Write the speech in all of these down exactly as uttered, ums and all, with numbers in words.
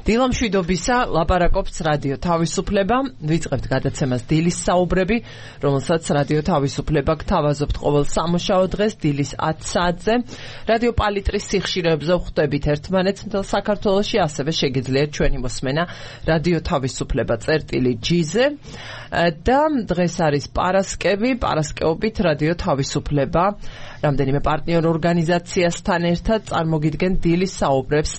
დილამშვიდობისა ლაპარაკობს რადიო თავისუფლება. ვიწყებთ გადაცემას დილის საუბრები, რომელსაც რადიო თავისუფლება გთავაზობთ ყოველ სამუშაო დღეს დილის ათ საათზე. რადიო პალიტრის სიხშირეებზე ვხვდებით ერთმანეთს მთელ საქართველოში, ასევე შეგიძლიათ ჩვენი მოსმენა რადიო თავისუფლება წერტილი ჯი-ზე. და დღეს არის პარასკევი, პარასკევობით რადიო თავისუფლება რამდენიმე პარტნიორ ორგანიზაციასთან ერთად წარმოგიდგენ დილის საუბრებს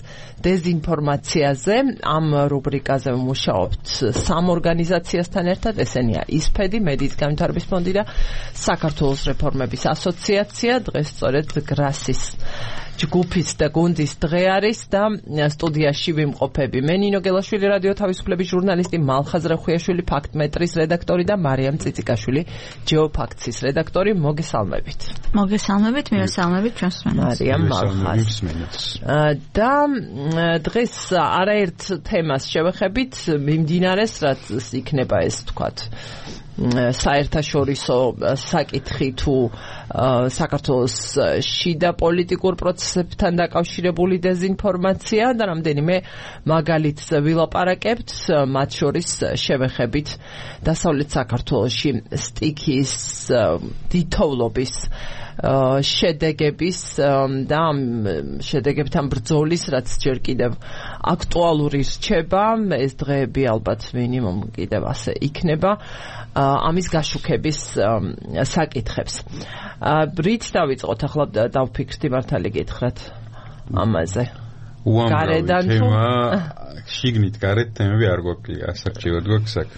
დეზინფორმაციაზე. ამ რუბრიკაზე ვმუშაობთ სამ ორგანიზაციასთან ერთად, ესენია ისფედი, მედიის განვითარების ფონდი და საქართველოს რეფორმების ასოციაცია. დღეს სწორედ გრასის ჯგუფის და გუნდის დღე არის და სტუდიაში ვიმყოფები მე ნინო გელაშვილი, რადიო თავისუფლების ჟურნალისტი, მალხაზ ხვიაშვილი, ფაქტმეტრის რედაქტორი და მარიამ წიწიკაშვილი, ჯეოფაქტსის რედაქტორი. მოგესალმებით. მოგესალმებით, მივესალმებით ჩვენს მსმენელს. მარიამ მალხაზ. და დღეს არაერთ თემას შევეხებით, მიმდინარეს, რაც იქნება ეს თქვათ საერთაშორისო საკითხი თუ საქართველოს შიდა პოლიტიკურ პროცესებთან დაკავშირებული დეზინფორმაცია და რამდენიმე მაგალითს ვილაპარაკებთ, მათ შორის შევეხებით დასავლეთ საქართველოში სტიქიის დიდთოვლობის შედეგების და შედეგებთან ბრძოლის, რაც ჯერ კიდევ აქტუალური რჩება. ეს დღეები ალბათ მინიმუმ კიდევ ასე იქნება ამის გაშუქების საკითხებს. რით დავიწყოთ ახლა, დავფიქრდი მართალი გითხრათ ამაზე. გარედან თუ შიგნით გარეთ თემები არ გვაქვს, ასაკჩივად გვაქვს აქ.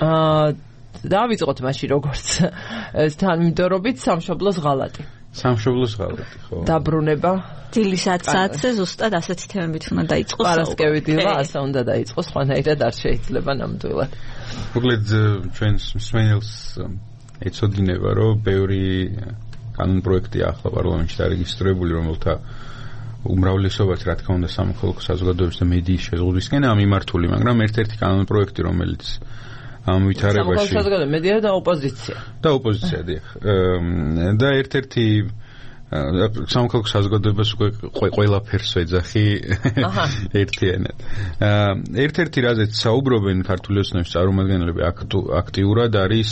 აა დავიწყოთ მაშინ როგორც თანმიმდევრობით სამშობლოს ღალატი. სამშობლოს ღალატი, ხო. დაბრუნება დილის ათ საათზე ზუსტად ასეთი თემებით უნდა დაიწყოს. პარასკევი დილა ასე უნდა დაიწყოს, სხვანაირად არ შეიძლება ნამდვილად. მოკლედ ჩვენს მსმენელს ეცოდინება, რომ ბევრი კანონპროექტია ახლა პარლამენტში დარეგისტრირებული, რომელთა უმრავლესობაც რა თქმა უნდა სამოქალაქო საზოგადოების და მედიის შეზღუდვისკენაა მიმართული, მაგრამ ერთ-ერთი კანონპროექტი, რომელიც ამ ვითარებაში სამოქალაქო მედია და ოპოზიცია. და ოპოზიცია, დიახ. და ერთ-ერთი სამოქალაქო საზოგადოებას უკვე ყველაფერს ეძახი ერთიანად. ერთ-ერთი რაზეც საუბრობენ ქართული ოცნების წარმომადგენლები აქტიურად არის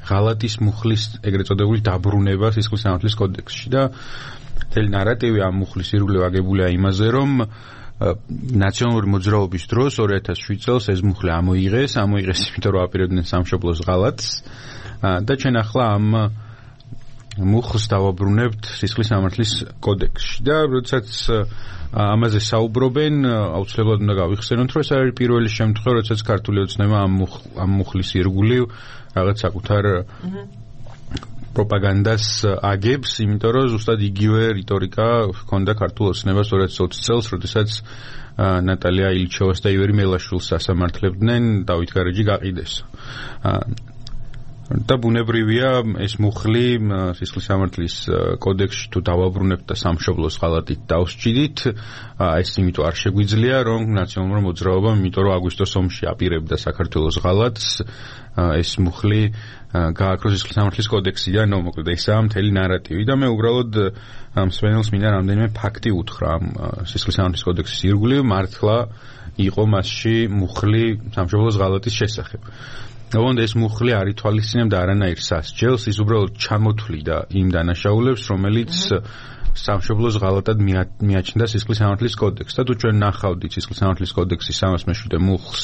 ღალატის მუხლის ეგრეთ წოდებული დაბრუნება სისხლის სამართლის კოდექსში და მთელი ნარატივი ამ მუხლის ირგვლივ აგებულია იმაზე, რომ ნაციონალური მოძრაობის დროს ორი ათას შვიდ წელს ეს მუხლი ამოიღეს, ამოიღეს იმიტომ რომ აპირებდნენ სამშობლოს ღალატს და ჩვენ ახლა ამ მუხლს დავაბრუნებთ სისხლის სამართლის კოდექსში და როდესაც ამაზე საუბრობენ, აუცილებლად უნდა გავიხსენოთ, რომ ეს არის პირველი შემთხვევა, როდესაც ქართული ოცნება ამ ამ მუხლის ირგვლივ რაღაც საკუთარ პროპაგანდას აგებს, იმიტომ რომ ზუსტად იგივე რიტორიკა ჰქონდა ქართულ ოცნებას ორი ათას ოცი წელს, როდესაც ნატალია ილჩოვას და ივერი მელაშვილს ასამართლებდნენ დავით გარეჯი გაყიდეს. და ბუნებრივია ეს მუხლი სისხლის სამართლის კოდექსში თუ დავაბრუნებთ და სამშობლოს ღალატით დავსჭიდით, ეს იმიტომ არ შეგვიძლია, რომ ნაციონალურმა მოძრაობამ, იმიტომ რომ აგვისტოს ომში აპირებდა საქართველოს ღალატს, ეს მუხლი გააკროს სისხლის სამართლის კოდექსიდან, ნუ მოკლედ ესაა მთელი ნარატივი და მე უბრალოდ მსმენელს მინდა რამდენიმე ფაქტი უთხრა ამ სისხლის სამართლის კოდექსის ირგვლივ მართლა იყო მასში მუხლი სამშობლოს ღალატის შესახებ. ოღონდ ეს მუხლი არ ითვალისწინებდა არანაირ სასჯელს, ის უბრალოდ ჩამოთვლიდა იმ დანაშაულებს, რომელიც სამშობლოს ღალატად მიაჩნდა სისხლის სამართლის კოდექსს. და თუ ჩვენ ნახავდით სისხლის სამართლის კოდექსის სამას მეშვიდე მუხლს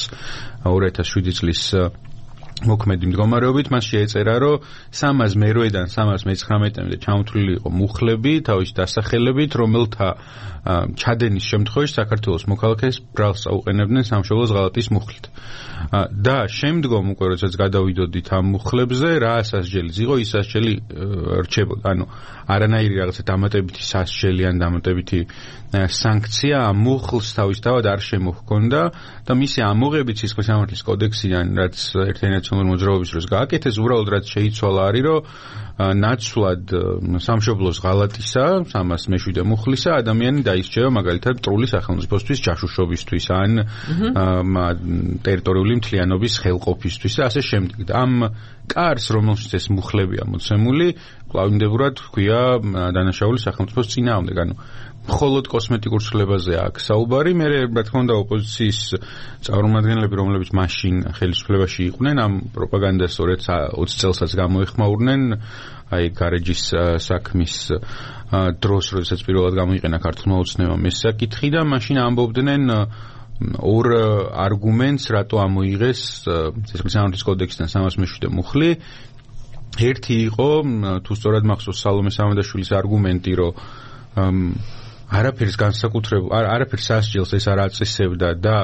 ორი ათას შვიდი წლის მოქმედი მდგომარეობით, მასში ეწერა, რომ სამას მერვედან სამას მეცხრამეტემდე ჩამოთვლილი იყო მუხლები თავისი დასახელებით, რომელთა ჩადენის შემთხვევაში საქართველოს მოქალაქეს ბრალს აუყენებდნენ სამშობლოს ღალატის მუხლით. და შემდგომ უკვე როდესაც გადავიდოდით ამ მუხლებზე, რა სასჯელიც იყო, ის სასჯელი რჩებოდა. ანუ არანაირი რაღაცა დამატებითი სასჯელი ან დამატებითი სანქცია ამ მუხლს თავისთავად არ შემოჰქონდა და მისი ამოღებით სისხლის სამართლის კოდექსიდან, რაც ერთიანი ნაციონალური მოძრაობის დროს გააკეთეს, უბრალოდ რაც შეიცვალა არის, რომ ნაცვლად სამშობლოს ღალატისა, სამას მეშვიდე მუხლისა ადამიანი დაისჯება მაგალითად მტრული სახელმწიფოსთვის, ჯაშუშობისთვის ან ტერიტორიული მთლიანობის ხელყოფისთვის და ასე შემდეგ. ამ კარს, რომელშიც ეს მუხლებია მოცემული, კლავინდებურად ჰქვია დანაშაული სახელმწიფოს წინააღმდეგ. ანუ მხოლოდ კოსმეტიკურ ცვლილებაზე აქვს საუბარი. მე რა თქმა უნდა ოპოზიციის წარმომადგენლები, რომლებიც მაშინ ხელისუფლებაში იყვნენ, ამ პროპაგანდას სწორედ ოცი წელსაც გამოეხმაურნენ. აი გარეჯის საქმის დროს, როდესაც პირველად გამოიყენა ქართულმა ოცნებამ ეს საკითხი და მაშინ ამბობდნენ ორ არგუმენტს, რატო ამოიღეს სისხლის კოდექსიდან სამას მეშვიდე მუხლი. ერთი იყო, თუ სწორად მახსოვს, სალომე სამადაშვილის არგუმენტი, რომ არაფერს განსაკუთრებულ არაფერს სასჯელს ეს არ აწესებდა და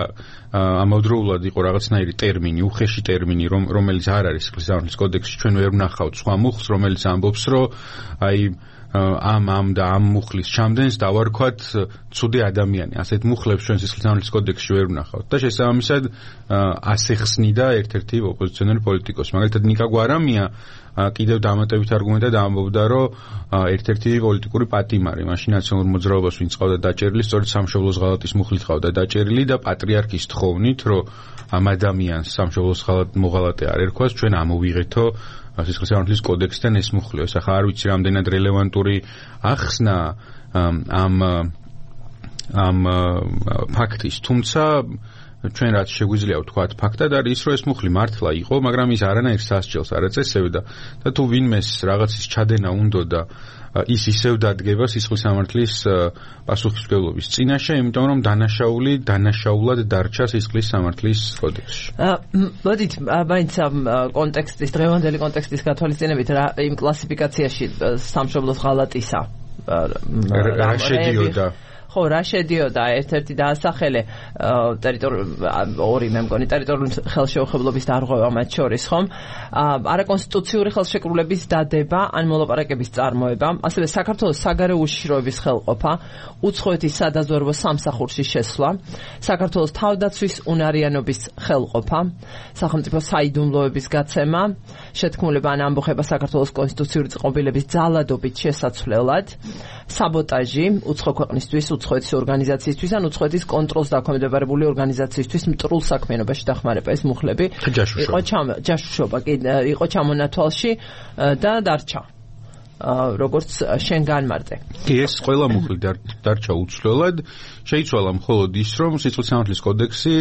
ამავდროულად იყო რაღაცნაირი ტერმინი, უხეში ტერმინი, რომელიც არ არის სისხლის კოდექსში, ჩვენ ვერ ვნახავთ სხვა მუხლს, რომელიც ამბობს, რომ აი ამ ამ და ამ მუხლის ჩამდენს დავარქვათ ცუდი ადამიანი. ასეთ მუხლებს ჩვენ სისხლის კოდექსში ვერ ვნახავთ და შესაბამისად ასე ხსნიდა ერთ-ერთი ოპოზიციონერი პოლიტიკოსი. მაგალითად ნიკა გვარამია კიდევ დამატებით არგუმენტად ამბობდა, რომ ერთ-ერთი პოლიტიკური პატიმარი მაშინ ნაციონალურ მოძრაობას ვინც ყავდა დაჭერილი, სწორედ სამშობლოს ღალატის მუხლით ყავდა დაჭერილი და პატრიარქის თხოვნით, რომ ამ ადამიანს სამშობლოს მოღალატე არ ერქვას, ჩვენ ამოვიღეთო სისხლის კოდექსიდან ეს მუხლიო. ახლა არ ვიცი რამდენად რელევანტური ახსნა ამ ამ ფაქტის, თუმცა ჩვენ რაც შეგვიძლია ვთქვათ ფაქტად არის ის, რომ ეს მუხლი მართლა იყო, მაგრამ ის არანაირ სასჯელს არ აწესებდა და თუ ვინმეს რაღაცის ჩადენა უნდოდა, ის ისევ დადგება სისხლის სამართლის პასუხისმგებლობის წინაშე, იმიტომ რომ დანაშაული დანაშაულად დარჩა სისხლის სამართლის კოდექსში. მოდით, მაინც ამ კონტექსტის, დღევანდელი კონტექსტის გათვალისწინებით იმ კლასიფიკაციაში სამშობლოს ღალატისა რა შედიოდა? ხო, რა შედიოდა ერთ-ერთი დაასახელე ორი მე მგონი ტერიტორიული ხელშეუხებლობის დარღვევა მათ შორის, ხომ? არაკონსტიტუციური ხელშეკრულების დადება ან მოლაპარაკების წარმოება, ასევე საქართველოს საგარეო უშიშროების ხელყოფა, უცხოეთის სადაზვერვო სამსახურში შესვლა, საქართველოს თავდაცვის უნარიანობის ხელყოფა, სახელმწიფო საიდუმლოების გაცემა, შეთქმულება ან ამბოხება საქართველოს კონსტიტუციური წყობილების ძალადობით შესაცვლელად, საბოტაჟი უცხო ქვეყნისთვის, უცხოეთის ორგანიზაციისთვის ან უცხოეთის კონტროლს დაქვემდებარებული ორგანიზაციისთვის მტრულ საქმიანობაში დახმარება. ეს მუხლები იყო ჯაშუშობა, კი იყო ჩამონათვალში და დარჩა როგორც შენ განმარტე. კი, ეს ყველა მუხლი დარჩა უცვლელად. შეიცვალა მხოლოდ ის, რომ სისხლის სამართლის კოდექსი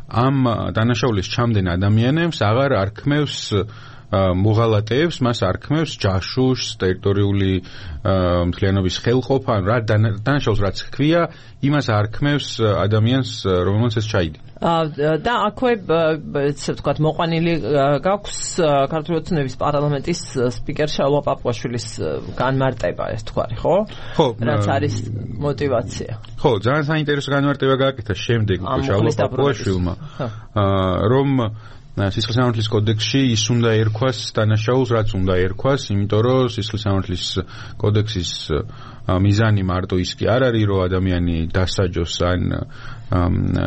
ამ დანაშაულის ჩამდენ ადამიანებს აღარ არქმევს მოღალატეებს, მას არქმევს ჯაშუშს, ტერიტორიული მთლიანობის ხელყოფა, რა დანაშაულს რაც ჰქვია, იმას არქმევს ადამიანს, რომელმაც ეს ჩაიდინა. და აქვე ესე ვთქვათ, მოყვანილი გაქვს ქართული ოცნების პარლამენტის სპიკერ შალვა პაპუაშვილის განმარტება, ეს თქვარი, ხო? ხო, რაც არის мотиваცია. ხო, ძალიან საინტერესო განმარტება გააკეთა შემდეგ შალვა პაპუაშვილმა, რომ სისხლის სამართლის კოდექსში ის უნდა ერქვას დანაშაულს, რაც უნდა ერქვას, იმიტომ რომ სისხლის სამართლის კოდექსის მიზანი მარტო ის კი არ არის, რომ ადამიანი დასაჯოს ან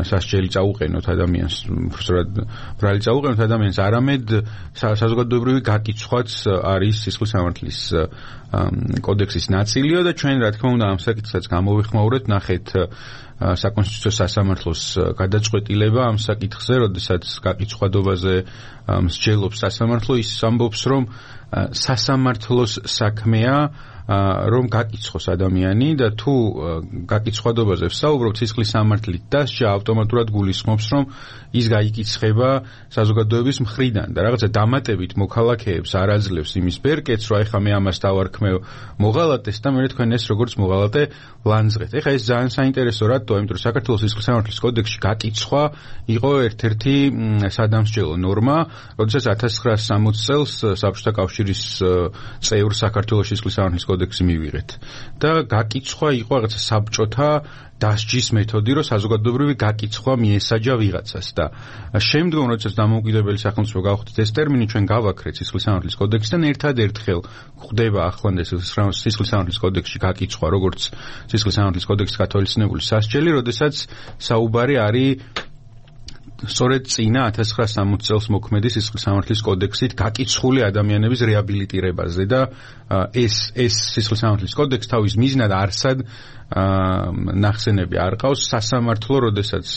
სასჯელი წაუყენოთ ადამიანს, სწორად ბრალი წაუყენოთ ადამიანს, არამედ საზოგადოებრივი გაკიცხვაც არის სისხლის სამართლის კოდექსის ნაწილია და ჩვენ რა თქმა უნდა ამ საკითხსაც გამოვიხმაურეთ, ნახეთ საკონსტიტუციო სასამართლოს გადაწყვეტილება ამ საკითხზე, როდესაც გაკიცხადობაზე მსჯელობს სასამართლო, ის ამბობს, რომ სასამართლოს საქმეა რომ გაკიცხოს ადამიანი და თუ გაკიცხადობაზე ვსაუბრობთ, სისხლის სამართლით დასჯა ავტომატურად გულისხმობს, რომ ის გაიკიცხება საზოგადოების მხრიდან და რაღაცა დამატებით მოქალაქეებს არ აძლევს იმის ბერკეთს, რომ ეხლა მე ამას დავარქმევ მოღალატეს და მე თქვენ ეს როგორც მოღალატე ლანძღეთ. ეხლა ეს ძალიან საინტერესო რატოა, იმიტომ რომ საქართველოს სისხლის სამართლის კოდექსში გაკიცხვა იყო ერთ-ერთი სადამსჯელო ნორმა, როდესაც ათას ცხრაასი სამოცი წელს საბჭოთა კავშირის წევრ საქართველოს სისხლის სამართლის კოდექსი მივიღეთ და გაკიცხვა იყო რაღაცა საბჭოთა დასჯის მეთოდი, რომ საზოგადოებრივი გაკიცხვა მიესაჯა ვიღაცას და შემდგომ როდესაც დამოუკიდებელი სახელმწიფო გავხდით ეს ტერმინი, ჩვენ გავაქრეთ სისხლის სამართლის კოდექსიდან, ერთადერთხელ გვხვდება ახლანდ სისხლის სამართლის კოდექსში გაკიცხვა, როგორც სისხლის სამართლის კოდექსის გათვალისწინებული სასჯელი, როდესაც საუბარი არის სწორედ წინა ათას ცხრაასი სამოცი წელს მოქმედი სისხლის სამართლის კოდექსით გაკიცხული ადამიანების რეაბილიტირებაზე და ეს ეს სისხლის სამართლის კოდექსი თავის მიზნად არსად ნახსენები არ ყავს სასამართლო, როდესაც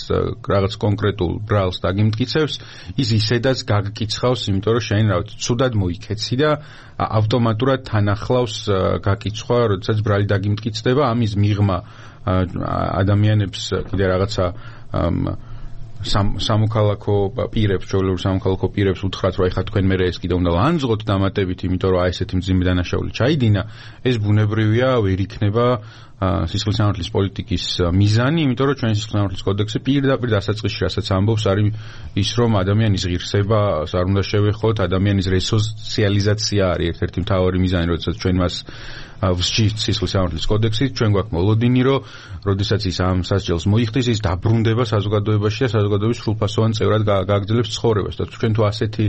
რაღაც კონკრეტულ ბრალს დაგიმტკიცებს, ის ისედაც გაგკიცხავს, იმიტომ რომ შენ რა ვიცი, ცუდად მოიქეცი და ავტომატურად თან ახლავს გაკიცხვა, როდესაც ბრალი დაგიმტკიცდება, ამის მიღმა ადამიანებს კიდე რაღაცა სამოქალაქო პირებს, ჩვეულებრივ სამოქალაქო პირებს უთხრათ, რომ ეხლა თქვენ მერე ეს კიდე უნდა ლანძღოთ დამატებით, იმიტომ რომ აი ესეთი მძიმე დანაშაული ჩაიდინა, ეს ბუნებრივია, ვერ იქნება სისხლის სამართლის პოლიტიკის მიზანი, იმიტომ რომ ჩვენი სისხლის სამართლის კოდექსი პირდაპირ დასაწყისში რასაც ამბობს, არის ის, რომ ადამიანის ღირსება არ უნდა შევეხოთ, ადამიანის რესოციალიზაცია არის ერთ-ერთი მთავარი მიზანი, როდესაც ჩვენ მას ვსჯით სისხლის სამართლის კოდექსით, ჩვენ გვაქვს მოლოდინი, რომ როდესაც ის ამ სასჯელს მოიხდის, ის დაბრუნდება საზოგადოებაში და საზოგადოების სრულფასოვან წევრად გააგრძელებს ცხოვრებას. და ჩვენ თუ ასეთი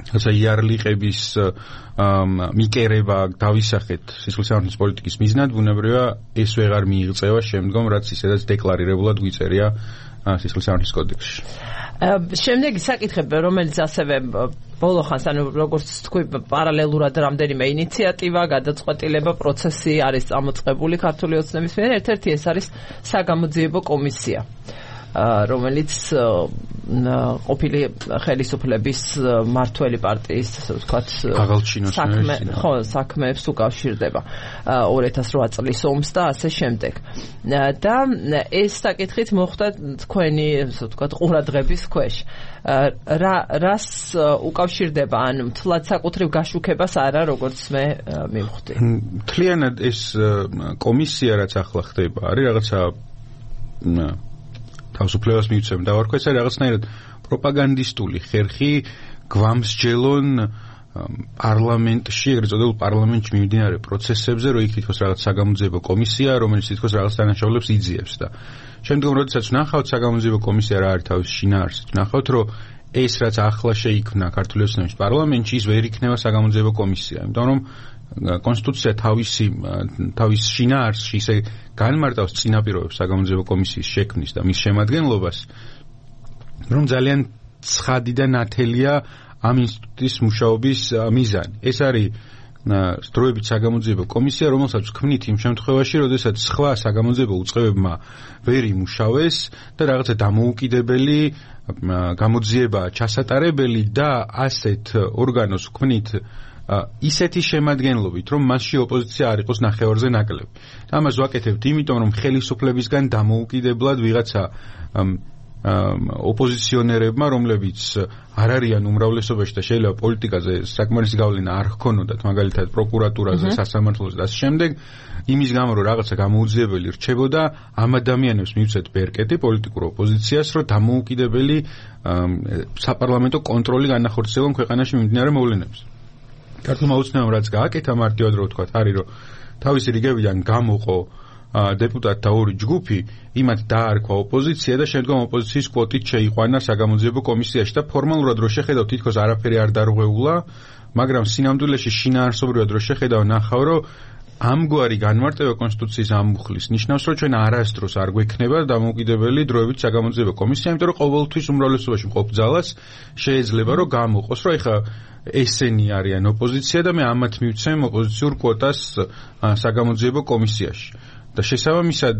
ასე იარლიყების მიკერება დავისახეთ სისხლის სამართლის პოლიტიკის მიზნად, ბუნებრივია ეს ვეღარ მიიღწევა შემდგომ, რაც ისედაც დეკლარირებულად გვიწერია სისხლის სამართლის კოდექსში. შემდეგი საკითხები, რომელიც ასევე ბოლო ხანს, ანუ როგორც თქვი, პარალელურად რამდენიმე ინიციატივა, გადაწყვეტილება, პროცესი არის წამოწყებული ქართული ოცნების მიერ, ერთ-ერთი ეს არის საგამოძიებო კომისია, რომელიც ყოფილი ხელისუფლების მართველი პარტიის, ასე ვთქვათ, საქმე, ხო, საქმეებს უკავშირდება ორ ათას რვა წლის ომს და ასე შემდეგ. და ეს საკითხით მოხდა თქვენი, ასე ვთქვათ, ყურადღების ქვეშ. რა რას უკავშირდება, ან მთლად საკუთრივ გაშუქებას არა, როგორც მე მივხვდი. მთლიანად ეს კომისია, რაც ახლა ხდება, არის რაღაცა თავისუფლებას მივცემ და ვარქვე, ეს არის რაღაცნაირად პროპაგანდისტული ხერხი გვამსჯელონ პარლამენტში, ეგრეთ წოდებულ პარლამენტში მიმდინარე პროცესებზე, რომ იქ თითქოს რაღაც საგამოძიებო კომისია, რომელიც თითქოს რაღაც დანაშაულებს იძიებს და შემდგომ, როდესაც ვნახავთ საგამოძიებო კომისია რა არის თავის შინაარსით, ვნახავთ, რომ ეს რაც ახლა შეიქმნა ქართული ოცნების პარლამენტში, ის ვერ იქნება საგამოძიებო კომისია, იმიტომ რომ კონსტიტუცია თავისი თავის შინაარსში ისე განმარტავს წინაპირობებს საგამოძიებო კომისიის შექმნის და მის შემადგენლობას, რომ ძალიან ცხადი და ნათელია ამ ინსტიტუტის მუშაობის მიზანი. ეს არის დროებით საგამოძიებო კომისია, რომელსაც ვქმნით იმ შემთხვევაში, როდესაც სხვა საგამოძიებო უწყებებმა ვერ იმუშავეს და რაღაცა დამოუკიდებელი გამოძიება ჩასატარებელი და ასეთ ორგანოს ვქმნით ისეთი შემადგენლობით, რომ მასში ოპოზიცია არ იყოს ნახევარზე ნაკლები. ამას ვაკეთებთ იმიტომ, რომ ხელისუფლებისგან დამოუკიდებლად ვიღაცა ოპოზიციონერებმა, რომლებიც არ არიან უმრავლესობაში და შეიძლება პოლიტიკაზე საკმარისი გავლენა არ ჰქონოდათ, მაგალითად პროკურატურაზე, სასამართლოზე და ასე შემდეგ, იმის გამო, რომ რაღაცა გამოუძიებელი რჩებოდა, ამ ადამიანებს მივცეთ ბერკეტი პოლიტიკურ ოპოზიციას, რომ დამოუკიდებელი საპარლამენტო კონტროლი განახორციელონ ქვეყანაში მიმდინარე მოვლენებს. ქართულმა ოცნებამ რაც გააკეთა, მარტივად რო ვთქვათ, არის რომ თავისი რიგებიდან გამოყო დეპუტატთა ორი ჯგუფი, იმათ დაარქვა ოპოზიცია და შემდგომ ოპოზიციის კვოტით შეიყვანა საგამოძიებო კომისიაში და ფორმალურად რო შეხედავ, თითქოს არაფერი არ დარღვეულა, მაგრამ სინამდვილეში შინაარსობრივად რო შეხედავ, ნახავ, რომ ამგვარი განმარტება კონსტიტუციის ამბუხლის ნიშნავს, რომ ჩვენ არასდროს არ გვექნება დამოუკიდებელი დროებით საგამოძიებო კომისია, იმიტომ რომ ყოველთვის უმრავლესობაში მყოფ ძალას შეიძლება რომ გამოყოს, რომ ეხა ესენი არიან ოპოზიცია და მე ამათ მივცემ ოპოზიციურ კვოტას საგამოძიებო კომისიაში. და შესაბამისად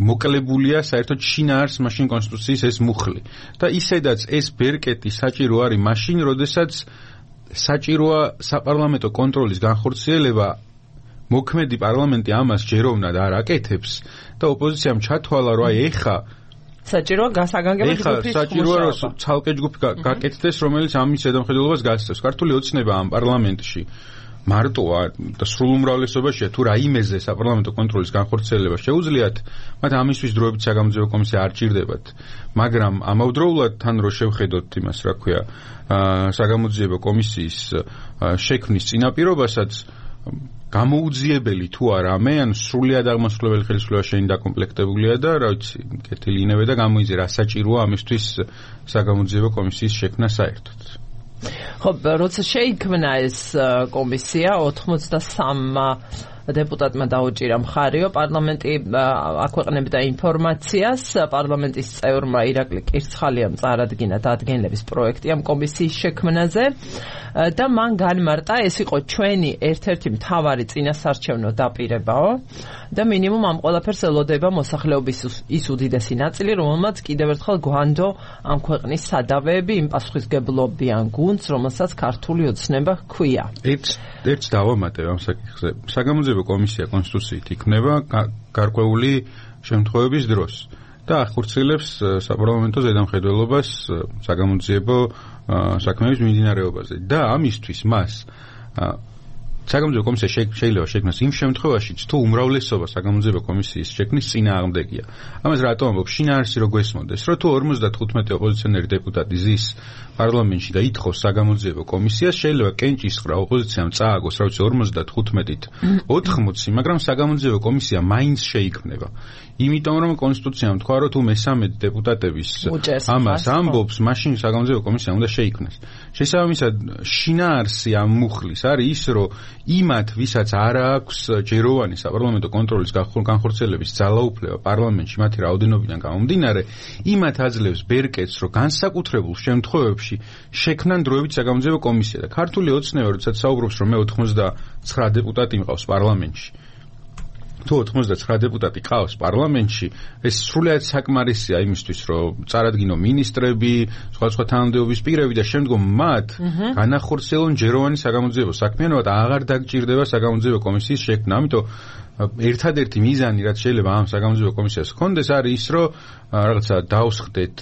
მოკლებულია საერთოდ შინაარს მაშინ კონსტიტუციის ეს მუხლი. და ისედაც ეს ბერკეტი საჭირო არის მაშინ, როდესაც საჭიროა საპარლამენტო კონტროლის განხორციელება, მოქმედი პარლამენტი ამას ჯეროვნად არ აკეთებს და ოპოზიციამ ჩათვალა, რომ აი ეხა საჭიროა გასაგანგებო ჯგუფის მუშაობა. საჭიროა რომ ცალკე ჯგუფი გაკეთდეს, რომელიც ამის ზედამხედველობას გასცემს. ქართული ოცნება ამ პარლამენტში მარტოა და სრულ უმრავლესობაშია, თუ რაიმეზე საპარლამენტო კონტროლის განხორციელება შეუძლიათ, მათ ამისთვის დროებით საგამოძიებო კომისია არ ჭირდებათ. მაგრამ ამავდროულად თან რო შევხედოთ იმას, რა ქვია, საგამოძიებო კომისიის შექმნის წინაპირობასაც, გამოუძიებელი თუ არა მე, ან სრულიად აღმასრულებელი ხელისუფლება შენი დაკომპლექტებულია და რა ვიცი, კეთილი ინევე და გამოიძე რა საჭიროა ამისთვის საგამოძიებო კომისიის შექმნა საერთოდ. ხო, როცა შეიქმნა ეს კომისია ოთხმოცდასამ დეპუტატმა დაუჭირა მხარიო, პარლამენტი აქვეყნებდა ინფორმაციას, პარლამენტის წევრმა ირაკლი კირცხალიამ წარადგინა დადგენილების პროექტი ამ კომისიის შექმნაზე და მან განმარტა, ეს იყო ჩვენი ერთ-ერთი მთავარი წინასარჩევნო დაპირებაო და მინიმუმ ამ ყველაფერს ელოდება მოსახლეობის ის უდიდესი ნაწილი, რომელმაც კიდევ ერთხელ გვანდო ამ ქვეყნის სადავეები იმ პასუხისგებლობიან გუნდს, რომელსაც ქართული ოცნება ჰქვია. ერთ ერთს დავამატებ ამ საკითხზე. საგამოძიებო კომისია კონსტიტუციით იქნება გარკვეული შემთხვევების დროს და ახორციელებს საპარლამენტო ზედამხედველობას საგამოძიებო საქმეების მიმდინარეობაზე და ამისთვის მას საგამოძიებო კომისია შეიძლება შექმნას იმ შემთხვევაშიც, თუ უმრავლესობა საგამოძიებო კომისიის შექმნის წინააღმდეგია. ამას რატომ ამბობ? შინაარსი რო გვესმოდეს, რომ თუ ორმოცდათხუთმეტი ოპოზიციონერი დეპუტატი ზის პარლამენტში და ითხოვს საგამოძიებო კომისიას, შეიძლება კენჭისყრა ოპოზიციამ წააგოს, რა ვიცი, ორმოცდათხუთმეტით ოთხმოცი, მაგრამ საგამოძიებო კომისია მაინც შეიქმნება. იმიტომ რომ კონსტიტუციამ თქვა, რომ თუ მესამედ დეპუტატების ამას ამბობს, მაშინ საგამოძიებო კომისია უნდა შეიქმნას. შესაბამისად, შინაარსი ამ მუხლის არის ის, რომ იმათ, ვისაც არ აქვს ჯეროვანი საპარლამენტო კონტროლის განხორციელების ძალაუფლება პარლამენტში მათი რაოდენობიდან გამომდინარე, იმათ აძლევს ბერკეტს, რომ განსაკუთრებულ შემთხვევებში შექმნან დროებით საგამოძიებო კომისია და ქართული ოცნება, როდესაც საუბრობს, რომ მე ოცდაათი დეპუტატი მყავს პარლამენტში. თუ ოცდაათი დეპუტატი ყავს პარლამენტში, ეს სრულიად საკმარისია იმისთვის, რომ წარადგინო მინისტრები, სხვადასხვა თანამდებობის პირები და შემდგომ მათ განახორციელონ ჯეროვანი საგამოძიებო საქმიანობა და აღარ დაგჭირდება საგამოძიებო კომისიის შექმნა. ამიტომ ერთადერთი მიზანი, რაც შეიძლება ამ საგამოძიებო კომისიას ჰქონდეს, არის ის, რომ რაღაცა დავსხდეთ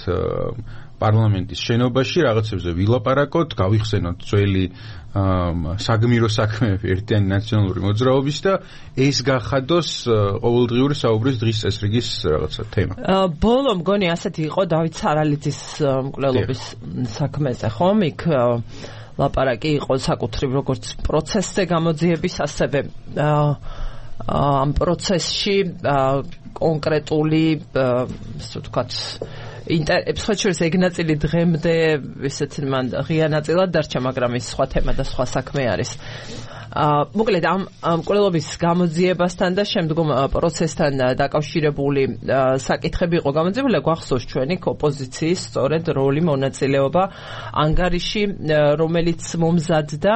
პარლამენტის შენობაში, რაღაცებზე ვილაპარაკოთ, გავიხსენოთ ძველი საგმირო საქმეები ერთიანი ნაციონალური მოძრაობის და ეს გახადოს ყოველდღიური საუბრის დღის წესრიგის რაღაცა თემა. ბოლო მგონი ასეთი იყო დავით სარალიძის მკვლელობის საქმეზე, ხომ? იქ ლაპარაკი იყო საკუთრივ როგორც პროცესზე გამოძიების, ასევე ამ პროცესში კონკრეტული, ასე ვთქვათ, ინტერესებს ეგ ნაწილი დღემდე ისეთ მან ღია ნაწილად დარჩა, მაგრამ ის სხვა თემა და სხვა საქმე არის. აა მოკლედ ამ მკვლელობის გამოძიებასთან და შემდგომ პროცესთან დაკავშირებული საკითხები იყო გამოძიებული. გვახსოვს ჩვენი ოპოზიციის სწორედ როლი, მონაწილეობა ანგარიში, რომელიც მომზადდა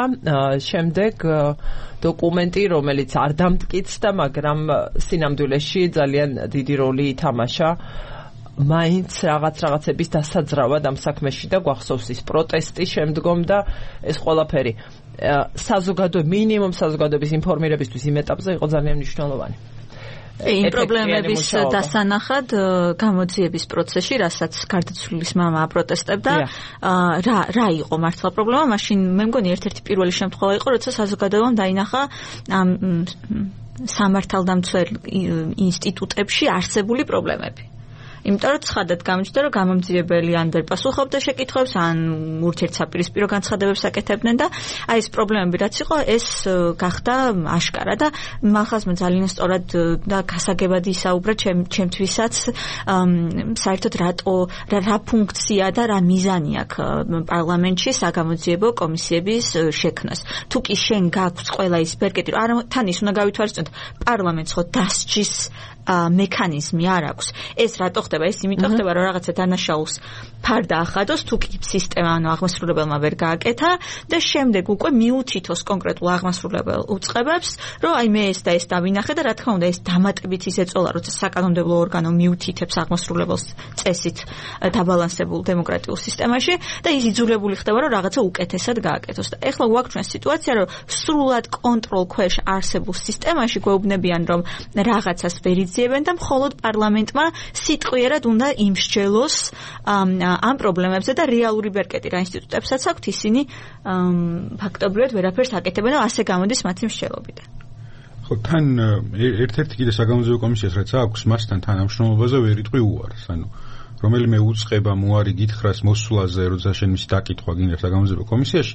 შემდეგ დოკუმენტი, რომელიც არ დამტკიცდა, მაგრამ სინამდვილეში ძალიან დიდი როლი ითამაშა მაინც რაღაც რაღაცების დასაძრავად ამ საქმეში და გვახსოვს ის პროტესტი შემდგომ და ეს ყველაფერი საზოგადო მინიმუმ საზოგადოების ინფორმირებისთვის იმ ეტაპზე იყო ძალიან მნიშვნელოვანი. იმ პრობლემების დასანახად გამოძიების პროცესში, რასაც გარდაცვლილის მამა აპროტესტებდა, რა რა იყო მართლა პრობლემა? მაშინ მე მგონი ერთ-ერთი პირველი შემთხვევა იყო, როცა საზოგადოებამ დაინახა ამ სამართალდამცველ ინსტიტუტებში არსებული პრობლემები. იმიტომ რომ ცხადად გამიჩნდა, რომ გამომძიებელი ან ვერ პასუხობდა შეკითხვებს, ან ურთიერთსაპირისპირო განცხადებებს აკეთებდნენ და აი ეს პრობლემები რაც იყო, ეს გახდა აშკარა და მახასმა ძალიან სწორად და გასაგებად ისაუბრა ჩემთვისაც საერთოდ რატო რა ფუნქცია და რა მიზანი აქვს პარლამენტში საგამოძიებო კომისიების შექმნას. თუ კი შენ გაქვს ყველა ის ბერკეტი, რომ არა თან ის უნდა გავითვალისწინოთ, პარლამენტს ხო დასჯის მექანიზმი არ აქვს. ეს რატო ხდება? ეს იმიტომ ხდება, რომ რაღაცა დანაშაულს ფარდა ახადოს, თუ კი სისტემა ანუ აღმასრულებელმა ვერ გააკეთა და შემდეგ უკვე მიუთითოს კონკრეტულ აღმასრულებელ უწყებებს, რომ აი მე ეს და ეს დავინახე და რა თქმა უნდა ეს დამატებით ის ეწოლა, როცა საკანონმდებლო ორგანო მიუთითებს აღმასრულებელს წესით დაბალანსებულ დემოკრატიულ სისტემაში და ის იძულებული ხდება, რომ რაღაცა უკეთესად გააკეთოს. და ეხლა გვაქვს ჩვენ სიტუაცია, რომ სრულად კონტროლ ქვეშ არსებულ სისტემაში გვეუბნებიან, რომ რაღაცას ვერ იძლევენ და მხოლოდ პარლამენტმა სიტყვიერად უნდა იმსჯელოს ამ პრობლემებზე და რეალური ბერკეტი რა ინსტიტუტებსაც აქვთ, ისინი ფაქტობრივად ვერაფერს აკეთებენ და ასე გამოდის მათი მსჯელობიდან. ხო, თან ერთ-ერთი კიდე საგამოძიებო კომისიას რაც აქვს, მასთან თანამშრომლობაზე ვერ იტყვი უარს. ანუ რომელიმე უწყება მოარი გითხრას მოსვლაზე, როცა შენ მისი დაკითხვა გინდა საგამოძიებო კომისიაში,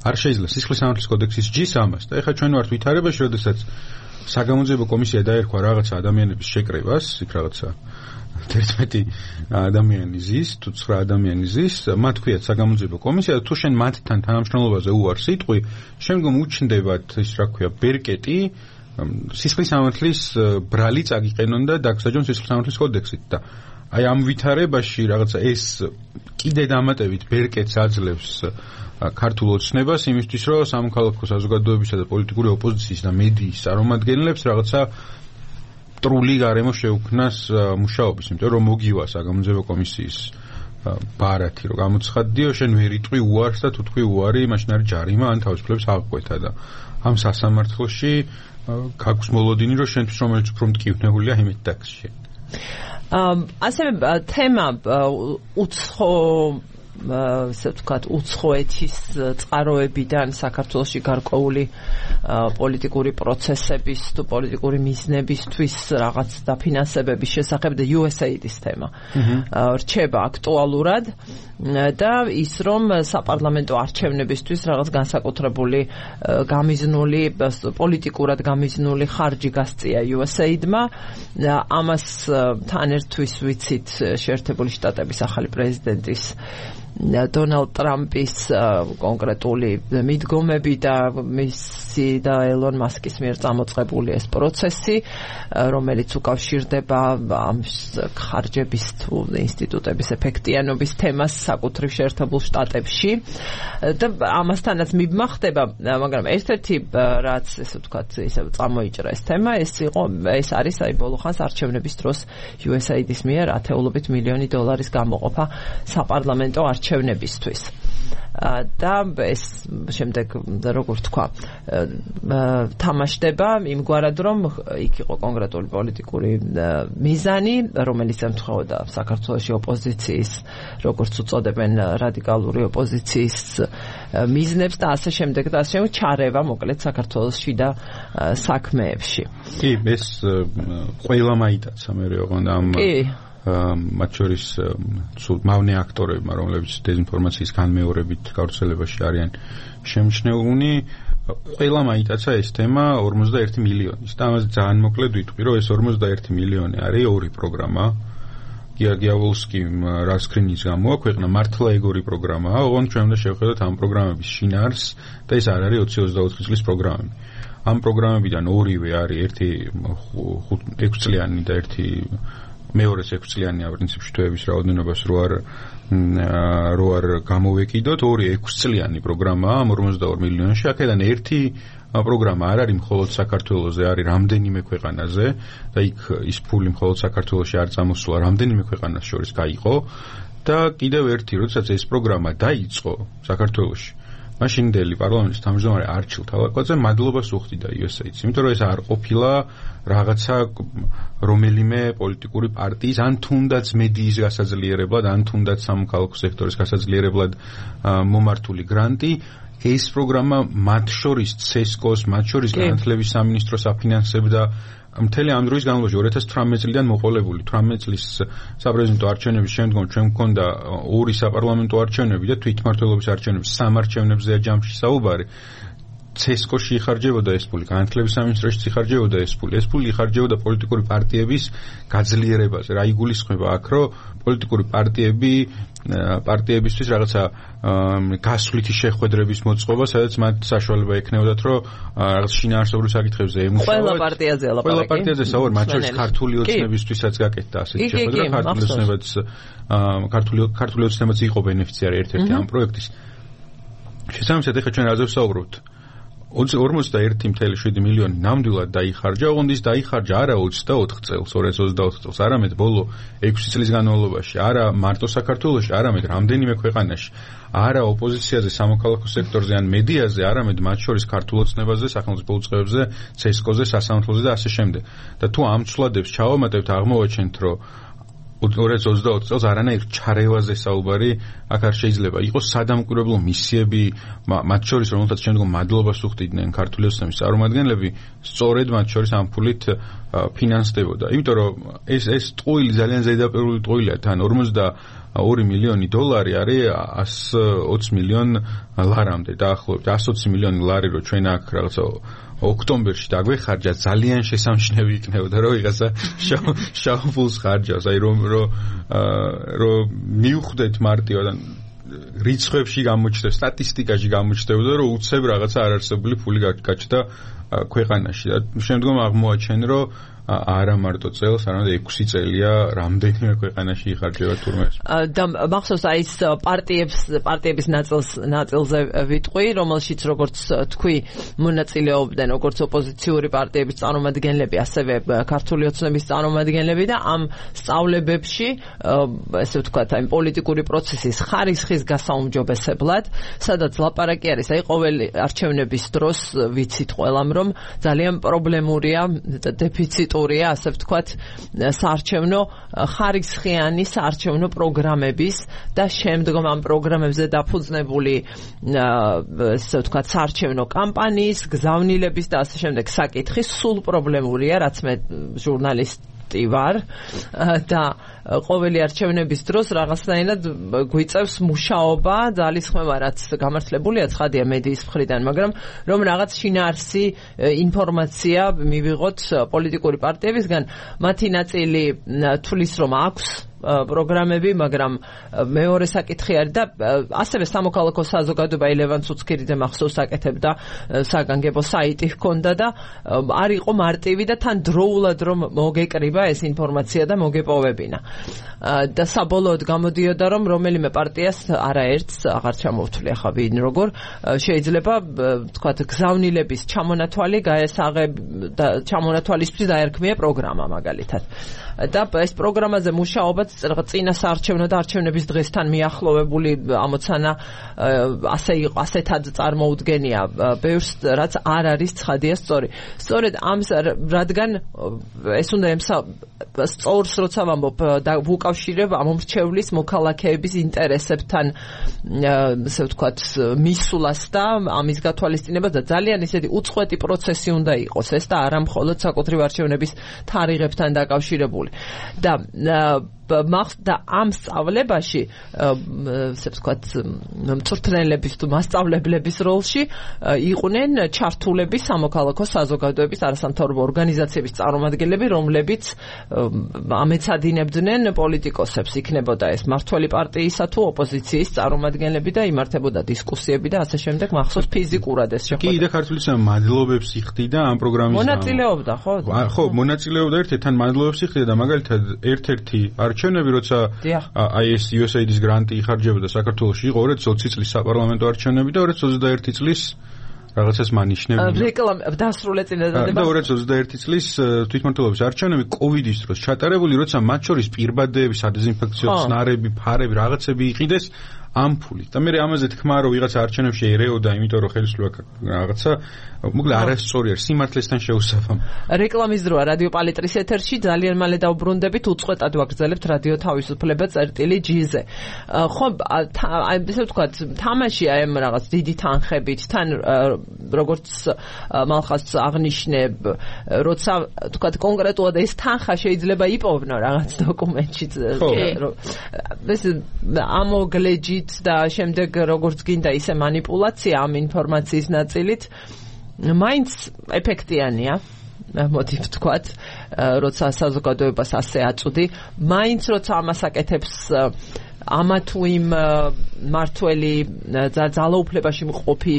არ შეიძლება სისხლის სამართლის კოდექსის ჯის ამას. და ეხლა ჩვენ ვართ ვითარებაში, როდესაც საგამოძიებო კომისია დაერქვა რაღაცა ადამიანების შეკრებას, იქ რაღაცა ერთმეტი ადამიანი ზის, თუ ცხრა ადამიანი ზის, მათ ქვიათ საგამოძიებო კომისია და თუ შენ მათთან თანამშრომლობაზე უარს იტყვი, შემდგომ უჩნდებათ ის რა ქვია ბერკეტი სისხლის სამართლის ბრალი წაგიყენონ და დაგსაჯონ სისხლის სამართლის კოდექსით და აი ამ ვითარებაში რაღაცა ეს კიდე დამატებით ბერკეტს აძლევს ქართულ ოცნებას იმისთვის რომ სამოქალაქო საზოგადოებისა და პოლიტიკური ოპოზიციის და მედიის წარმომადგენლებს რაღაცა ტრული გარემო შეუქმნას მუშაობის, იმიტომ რომ მოგივა საგამოძიებო კომისიის ბარათი რომ გამოცხადდიო, შენ ვერ იტყვი უარს და თუ თქვი უარი, მაშინ არის ჯარიმა ან თავისუფლების აღკვეთა და ამ სასამართლოში გაქვს მოლოდინი რომ შენთვის რომელიც უფრო მტკივნეულია იმით დაგსში. ასევე თემა უცხო ასე ვთქვათ, უცხოეთის წყაროებიდან საქართველოში გარკვეული პოლიტიკური პროცესების თუ პოლიტიკური მიზნებისთვის რაღაც დაფინანსებების შესახებ და იუ ეს ეი-ის თემა რჩება აქტუალურად და ის რომ საპარლამენტო არჩევნებისთვის რაღაც განსაკუთრებული გამიზნული პოლიტიკურად გამიზნული ხარჯი გასწია იუ ეს ეი-დმა ამას თან ერთვის ვიცით შეერთებული შტატების ახალი პრეზიდენტის დონალდ ტრამპის კონკრეტული მიდგომები და მისი და ელონ მასკის მიერ წამოწყებული ეს პროცესი, რომელიც უკავშირდება ამ ხარჯების თუ ინსტიტუტების ეფექტიანობის თემას საკუთრივ შეერთებულ შტატებში და ამასთანაც მიბმახდება, მაგრამ ერთ-ერთი რაც ესე ვთქვათ, ისე წამოიჭრა ეს თემა, ეს იყო ეს არის აი ბოლო ხანს არჩევნების დროს იუ ეს ეი-ის მიერ ათეულობით მილიონი დოლარის გამოყოფა საპარლამენტო არჩევნებისთვის. და ეს შემდეგ როგორ თქვა თამაშდება იმგვარად რომ იქ იყო კონკრეტული პოლიტიკური მიზანი რომელიც ემთხვეოდა საქართველოში ოპოზიციის როგორც უწოდებენ რადიკალური ოპოზიციის მიზნებს და ასე შემდეგ და ასე ჩარევა მოკლედ საქართველოში და საქმეებში. კი ეს ყველა მაიტაცა მე როგორ ამ მათ შორის მავნე აქტორებმა, რომლებიც დეзинფორმაციის განმეორებით გავრცელებაში არიან შემჩნეულნი, ყველა მაიტაცა ეს თემა ორმოცდაერთი მილიონის. და ამაზე ძალიან მოკლედ ვიტყვი, რომ ეს ორმოცდაერთი მილიონი არის ორი პროგრამა. გიორგიავსკიმ რა სკრინის გამოაქვეყნა მართლა ეგორი პროგრამაა, ოღონდ ჩვენ უნდა შევხედოთ ამ პროგრამების შინაარს და ეს არ არის ოცი ოცდაოთხი წლის პროგრამები. ამ პროგრამებიდან ორივე არის ერთი ექვსი წლიანი და ერთი მეორე ექვსი წლიანია პრინციპში თვეების რაოდენობას რო არ რო არ გამოვეკიდოთ, ორი ექვსი წლიანი პროგრამაა ამ ორმოცდაორ მილიონში. აქედან ერთი პროგრამა არ არის მხოლოდ საქართველოზე, არის რამდენიმე ქვეყანაზე და იქ ის ფული მხოლოდ საქართველოში არ წამოსულა, რამდენიმე ქვეყანას შორის გაიყო და კიდევ ერთი, როდესაც ეს პროგრამა დაიწყო საქართველოში, მაშინდელი პარლამენტის თავმჯდომარე არჩილ თავაკაძე მადლობას უხდიდა იუ ეს ეი-ს, იმიტომ რომ ეს არ ყოფილა რაღაცა რომელიმე პოლიტიკური პარტიის ან თუნდაც მედიის გასაძლიერებლად, ან თუნდაც სამოქალაქო სექტორის გასაძლიერებლად მომართული გრანტი. ეს პროგრამა მათ შორის ცესკოს, მათ შორის განათლების სამინისტროს აფინანსებდა მთელი ამ დროის განმავლობაში ორი ათას თვრამეტი წლიდან მოყოლებული თვრამეტი წლის საპრეზიდენტო არჩევნების შემდგომ ჩვენ მქონდა ორი საპარლამენტო არჩევნები და თვითმმართველობის არჩევნები, სამ არჩევნებზეა ჯამში საუბარი. ცესკოში იხარჯებოდა ეს ფული, განათლების სამინისტროში იხარჯებოდა ეს ფული. ეს ფული იხარჯებოდა პოლიტიკური პარტიების გაძლიერებაზე. რა იგულისხმება აქ, რომ პოლიტიკური პარტიები პარტიებისთვის რაღაცა გასვლითი შეხვედრების მოწყობა, სადაც მათ საშუალება ექნებოდათ, რომ რაღაც შინაარსობრივ საკითხებზე ემუშავოთ. ყველა პარტიაზე ლაპარაკი. ყველა პარტიაზე საუბარი, მათ შორის ქართული ოცნებისთვისაც გაკეთდა ასეთი შეხვედრა. ქართული ოცნებაც ქართული ქართული ოცნებაც იყო ბენეფიციარი ერთ-ერთი ამ პროექტის. შესაბამისად, ეხლა ჩვენ რაზე ვსაუბრობთ? ორმოცდაერთი წუთი შვიდი მილიონი ნამდვილად დაიხარჯა, ოღონდ ის დაიხარჯა არა ოცდაოთხ წელს, ორი ათას ოცდაოთხ წელს, არამედ ბოლო ექვსი წლის განმავლობაში, არა მარტო საქართველოში, არამედ რამდენიმე ქვეყანაში, არა ოპოზიციაზე, სამოქალაქო სექტორზე ან მედიაზე, არამედ მათ შორის ქართულ ოცნებაზე, სახელმწიფო უწყებებზე, ცესკოზე, სასამართლოზე და ასე შემდეგ. და თუ ამ ცვლადებს ჩავამატებთ, აღმოვაჩენთ, რომ ორი ათას ოცდაოთხ წელს არანაირ ჩარევაზე საუბარი აქ არ შეიძლება. იყო სადამკვირვებლო მისიები, მათ შორის რომელთაც შემდგომ მადლობას უხდიდნენ ქართული ოცნების წარმომადგენლები, სწორედ მათ შორის ამ ფულით ფინანსდებოდა. იმიტომ რომ ეს ეს ტყუილი ძალიან ზედაპირული ტყუილია, თან ორმოცდაორი მილიონი დოლარი არის ასი ოცი მილიონ ლარამდე დაახლოებით. ასი ოცი მილიონი ლარი რო ჩვენ აქ რაღაცა ოქტომბერში დაგვეხარჯა, ძალიან შესამჩნევი იქნებოდა, რომ ვიღაცა შავ ფულს ხარჯავს, აი რომ რომ რომ მივხვდეთ მარტივად, რიცხვებში გამოჩნდა, სტატისტიკაში გამოჩნდა, რომ უცებ რაღაცა არარსებული ფული გაჩნდა ქვეყანაში. შემდგომ აღმოაჩენ, რომ არა მარტო წელს, არამედ ექვსი წელია რამდენიმე ქვეყანაში იხარჯება თურმე. და მახსოვს აი ეს პარტიებს, პარტიების ნაწილს ნაწილზე ვიტყვი, რომელშიც როგორც თქვი, მონაწილეობდნენ როგორც ოპოზიციური პარტიების წარმომადგენლები, ასევე ქართული ოცნების წარმომადგენლები და ამ სწავლებებში, ესე ვთქვათ, აი პოლიტიკური პროცესის ხარისხის გასაუმჯობესებლად, სადაც ლაპარაკი არის, აი ყოველი არჩევნების დროს ვიცით ყველამ, რომ ძალიან პრობლემურია და დეფიციტ ასე ვთქვათ, საარჩევნო ხარისხიანი საარჩევნო პროგრამების და შემდგომ ამ პროგრამებზე დაფუძნებული ასე ვთქვათ, საარჩევნო კამპანიის, გზავნილების და ასე შემდეგ საკითხი სულ პრობლემურია, რაც მე ჟურნალისტი ვარ და ყოველი არჩევნების დროს რაღაცნაირად გვიწევს მუშაობა, ძალისხმევა, რაც გამართლებულია ცხადია მედიის მხრიდან, მაგრამ რომ რაღაც შინაარსი ინფორმაცია მივიღოთ პოლიტიკური პარტიებისგან, მათი ნაწილი თulis რომ აქვს პროგრამები, მაგრამ მეორე საკითხი არის და ასევე სამოქალაქო საზოგადოება ელევან ცუცქირიძე მახსოვს აკეთებდა საგანგებო საიტი ჰქონდა და არ იყო მარტივი და თან დროულად რომ მოგეკრიბა ეს ინფორმაცია და მოგეპოვებინა. და საბოლოოდ გამოდიოდა რომ რომელიმე პარტიას არაერთს აღარ ჩამოვთვლი ახლა ვინ როგორ შეიძლება თქვათ გზავნილების ჩამონათვალი გაესაღებ და ჩამონათვალისთვის დაერქმია პროგრამა მაგალითად. და ეს პროგრამაზე მუშაობაც წინა საარჩევნო და არჩევნების დღესთან მიახლოვებული ამოცანა ასე ასეთად წარმოუდგენია ბევრს, რაც არ არის ცხადია სწორი. სწორედ ამ რადგან ეს უნდა ემსა სწორს როცა ვამბობ და ვუკავშირებ ამომრჩევლის მოქალაქეების ინტერესებთან ასე ვთქვათ მისვლას და ამის გათვალისწინებას და ძალიან ისეთი უწყვეტი პროცესი უნდა იყოს ეს და არა მხოლოდ საკუთრივ არჩევნების თარიღებთან დაკავშირებული. და და ამ სწავლებაში ასე ვთქვათ მწვრთნელების თუ მასწავლებლების როლში იყვნენ ჩართულები სამოქალაქო საზოგადოების არასამთავრობო ორგანიზაციების წარმომადგენლები, რომლებიც ამეცადინებდნენ პოლიტიკოსებს, იქნებოდა ეს მართველი პარტიისა თუ ოპოზიციის წარმომადგენლები და იმართებოდა დისკუსიები და ასე შემდეგ, მახსოვს ფიზიკურად ეს შეხვედრა. კი, და ქართულის მადლობებს იხდიდა ამ პროგრამის მონაწილეობდა, ხო? ხო, მონაწილეობდა ერთ-ერთთან მადლობებს იხდიდა და მაგალითად ერთ-ერთი არჩევნები, როცა აი ეს იუ ეს έი დის გრანტი იხარჯებოდა საქართველოში, იყო ორი ათი ოცი წლის საპარლამენტო არჩევნები და ორი ათი ოცდაერთი წლის რაღაცას მანიშნებია. რეკლამა დასრულე წინადადება. და ორი ათი ოცდაერთი წლის თვითმმართველობის არჩევნები კოვიდის დროს ჩატარებული, როცა მათ შორის პირბადეები, სადეზინფექციო ხსნარები, ფარები, რაღაცები იყიდეს ამ ფულით. და მე ამაზე თქმა რომ ვიღაცა არჩევნებში ერეოდა, იმიტომ რომ ხელისუფლება რაღაცა მოკლედ არასწორი არის, სიმართლესთან შეუსაბამო. რეკლამის დროა რადიო პალიტრის ეთერში, ძალიან მალე დავბრუნდებით, უწყვეტად ვაგრძელებთ რადიო თავისუფლება წერტილი ჯი-ზე. ხო, აი ესე ვთქვათ, თამაში აი ამ რაღაც დიდი თანხებით, თან როგორც მალხას აღნიშნებ, როცა ვთქვათ კონკრეტულად ეს თანხა შეიძლება იპოვნო რაღაც დოკუმენტში, ეს ამოგლეჯი და შემდეგ როგორც გინდა ისე манипуляცია ამ ინფორმაციის ნაწილით მაინც ეფექტიანია, მოდი ვთქვათ, როცა საზოგადოებას ასე აწვდი, მაინც როცა ამას აკეთებს ამა თუ იმ მართველი ძალაუფლებაში მყოფი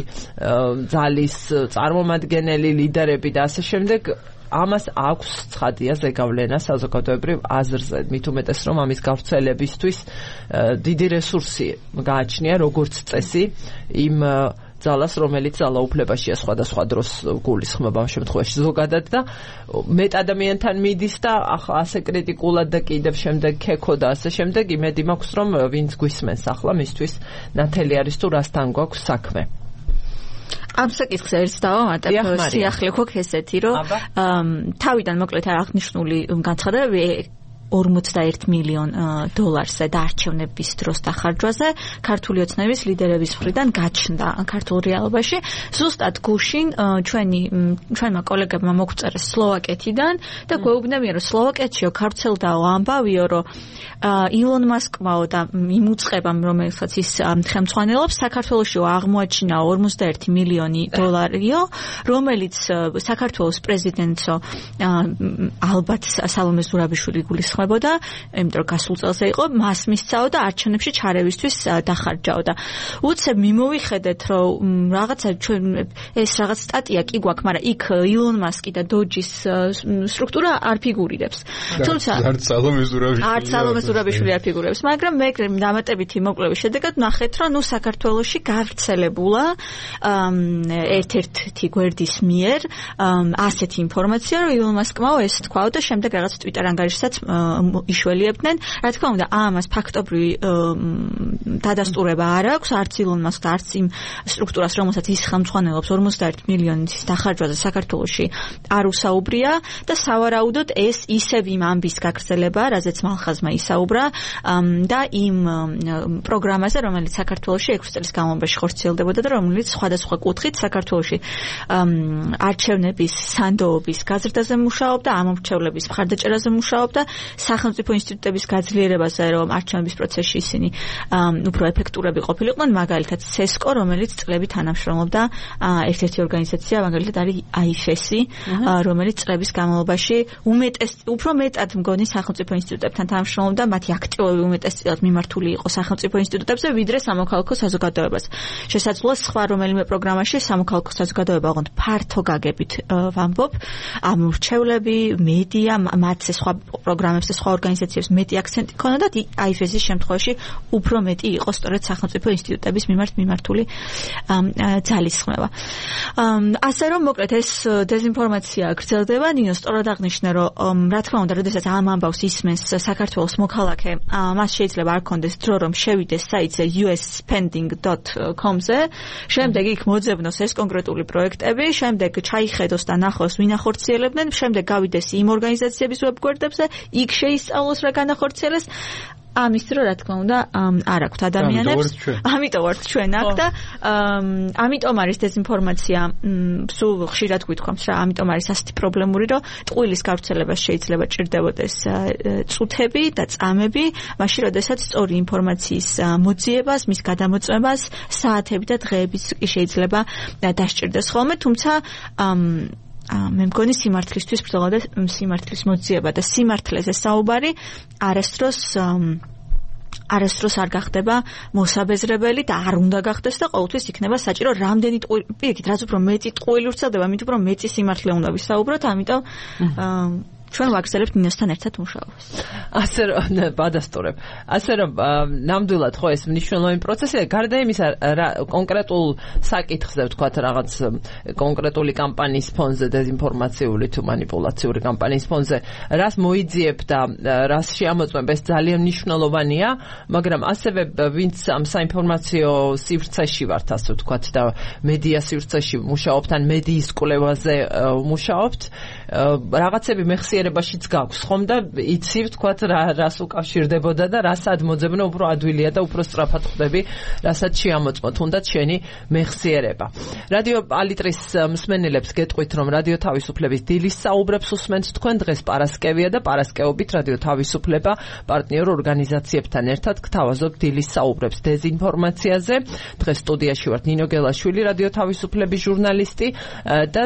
ძალის წარმომადგენელი, ლიდერები და ასე შემდეგ, ამას აქვს ცხადია ზეგავლენა საზოგადოებრივ აზრზე, მით უმეტეს რომ ამის გავრცელებისთვის დიდი რესურსი გააჩნია როგორც წესი იმ ძალას, რომელიც ძალაუფლებაშია სხვადასხვა დროს გულისხმობა ამ შემთხვევაში ზოგადად და მეტ ადამიანთან მიდის და ახლა ასე კრიტიკულად და კიდევ შემდეგ ქექო და ასე შემდეგ, იმედი მაქვს რომ ვინც გვისმენს ახლა მისთვის ნათელი არის თუ რასთან გვაქვს საქმე. ამ საკითხს ერთს დავამატებ, სიახლე გვაქვს ესეთი, რომ თავიდან მოკლედ აღნიშნული განცხადებები ორმოცდაერთი მილიონ დოლარზე და არჩევნების დროს დახარჯვაზე ქართული ოცნების ლიდერების მხრიდან გაჩნდა ქართულ რეალობაში. ზუსტად გუშინ ჩვენი ჩვენმა კოლეგებმა მოგვწერეს სლოვაკეთიდან და გვეუბნებიან, რომ სლოვაკეთშიო გავრცელდაო ამბავიო, რომ ილონ მასკმაო და იმ უწყებამ, რომელსაც ის ხელმძღვანელობს, საქართველოშიო აღმოაჩინა ორმოცდაერთი მილიონი დოლარიო, რომელიც საქართველოს პრეზიდენტო ალბათ სალომე ზურაბიშვილი გულის ეთანხმებოდა, იმიტომ რომ გასულ წელს იყო, მას მისცაო და არჩევნებში ჩარევისთვის დახარჯაო და უცებ მიმოვიხედეთ, რომ რაღაცა ჩვენ ეს რაღაც სტატია კი გვაქვს, მაგრამ იქ ილონ მასკი და დოჯის სტრუქტურა არ ფიგურირებს. თუმცა არც სალომე ზურაბიშვილი არც სალომე ზურაბიშვილი არ ფიგურირებს, მაგრამ მე დამატებითი მოკვლევის შედეგად ნახეთ, რომ ნუ საქართველოში გავრცელებულა ერთ-ერთი გვერდის მიერ ასეთი ინფორმაცია, რომ ილონ მასკმა ეს თქვაო და შემდეგ რაღაც ტვიტერ ანგარიშსაც იშველიებდნენ. რა თქმა უნდა, ამას ფაქტობრივი დადასტურება არ აქვს, არც ილონ მასკს, არც იმ სტრუქტურას, რომელსაც ის ხელმძღვანელობს ორმოცდაერთი მილიონის დახარჯვაზე საქართველოში არ უსაუბრია და სავარაუდოდ ეს ისევ იმ ამბის გაგრძელება, რაზეც მალხაზმა ისაუბრა და იმ პროგრამაზე, რომელიც საქართველოში ექვსი წლის განმავლობაში ხორციელდებოდა და რომელიც სხვადასხვა კუთხით საქართველოში არჩევნების სანდოობის გაზრდაზე მუშაობდა, ამომრჩევლების მხარდაჭერაზე მუშაობდა, სახელმწიფო ინსტიტუტების გაძლიერებაზე, რომ არჩევნების პროცესში ისინი უფრო ეფექტურები ყოფილიყვნენ, მაგალითად სესკო, რომელიც წლებით თანამშრომლობდა ერთ-ერთი ორგანიზაცია, მაგალითად არის აიფესი, რომელიც წლების განმავლობაში უმეტეს უფრო მეტად მგონი სახელმწიფო ინსტიტუტებთან თანამშრომლობდა, მათი აქტივობები უმეტესწილად მიმართული იყო სახელმწიფო ინსტიტუტებზე, ვიდრე სამოქალაქო საზოგადოებას. შესაძლოა სხვა რომელიმე პროგრამაში სამოქალაქო საზოგადოება ოღონდ ფართო გაგებით ვამბობ, ამორჩევლები, მედია, მათზე სხვა პროგრამებზე, სხვა ორგანიზაციებს მეტი აქცენტი ქონოდა და აიფესის შემთხვევაში უფრო მეტი იყო სწორედ სახელმწიფო ინსტიტუტების მიმართ მიმართული ძალისხმევა. ასე რომ მოკლედ ეს დეზინფორმაცია გრძელდება, ნინო სწორად აღნიშნა, რომ რა თქმა უნდა, როდესაც ამ ამბავს ისმენს საქართველოს მოქალაქე, მას შეიძლება არ ქონდეს დრო, რომ შევიდეს საიტზე u s spending dot com-ზე, შემდეგ იქ მოძებნოს ეს კონკრეტული პროექტები, შემდეგ ჩაიხედოს და ნახოს ვინ ახორციელებდნენ, შემდეგ გავიდეს იმ ორგანიზაციების ვებგვერდებზე, იქ შეისწავლოს რა განახორციელეს. ამის დრო რა თქმა უნდა არ აქვთ ადამიანებს. ამიტომ ვართ ჩვენ აქ და ამიტომ არის დეზინფორმაცია სულ ხშირად გვითხოვს რა, ამიტომ არის ასეთი პრობლემური, რომ ტყუილის გავრცელებას შეიძლება ჭირდებოდეს წუთები და წამები, მაშინ როდესაც სწორი ინფორმაციის მოძიებას, მის გადამოწმებას საათები და დღეებიც კი შეიძლება დასჭირდეს ხოლმე, თუმცა მე მგონი სიმართლისთვის ბრძოლა და სიმართლის მოძიება და სიმართლეზე საუბარი არასდროს არასდროს არ გახდება მოსაბეზრებელი და არ უნდა გახდეს და ყოველთვის იქნება საჭირო რამდენი ტყუილი, პირიქით, რაც უფრო მეტი ტყუილი ვრცელდება, მით უფრო მეტი სიმართლე უნდა ვისაუბროთ, ამიტომ ჩვენ ვაგრძელებთ ნინოსთან ერთად მუშაობას. ასე რომ ბადასტურებ. ასე რომ ნამდვილად ხო ეს მნიშვნელოვანი პროცესია, გარდა იმისა, კონკრეტულ საკითხზე ვთქვათ რაღაც კონკრეტული კამპანიის ფონზე, დეზინფორმაციული თუ манипуლაციური კამპანიის ფონზე, რას მოიძიებ და რას შეამოწმებ, ეს ძალიან მნიშვნელოვანია, მაგრამ ასევე ვინც ამ საინფორმაციო სივრცეში ვართ, ასე ვთქვათ და მედია სივრცეში მუშაობთ, ან მედიის კვლევაზე მუშაობთ, რაღაცები მეხსიერებაშიც გაქვს ხომ და იცი ვთქვათ რა რას უკავშირდებოდა და რასაც მოძებნო უფრო ადვილია და უფრო სწრაფად ხდები, რასაც შეამოწმო თუნდაც შენი მეხსიერება. რადიო ალიტრის მსმენელებს გეტყვით, რომ რადიო თავისუფლების დილის საუბრებს უსმენთ თქვენ, დღეს პარასკევია და პარასკევობით რადიო თავისუფლება პარტნიორ ორგანიზაციებთან ერთად გთავაზობთ დილის საუბრებს დეზინფორმაციაზე. დღეს სტუდიაში ვართ ნინო გელაშვილი, რადიო თავისუფლების ჟურნალისტი და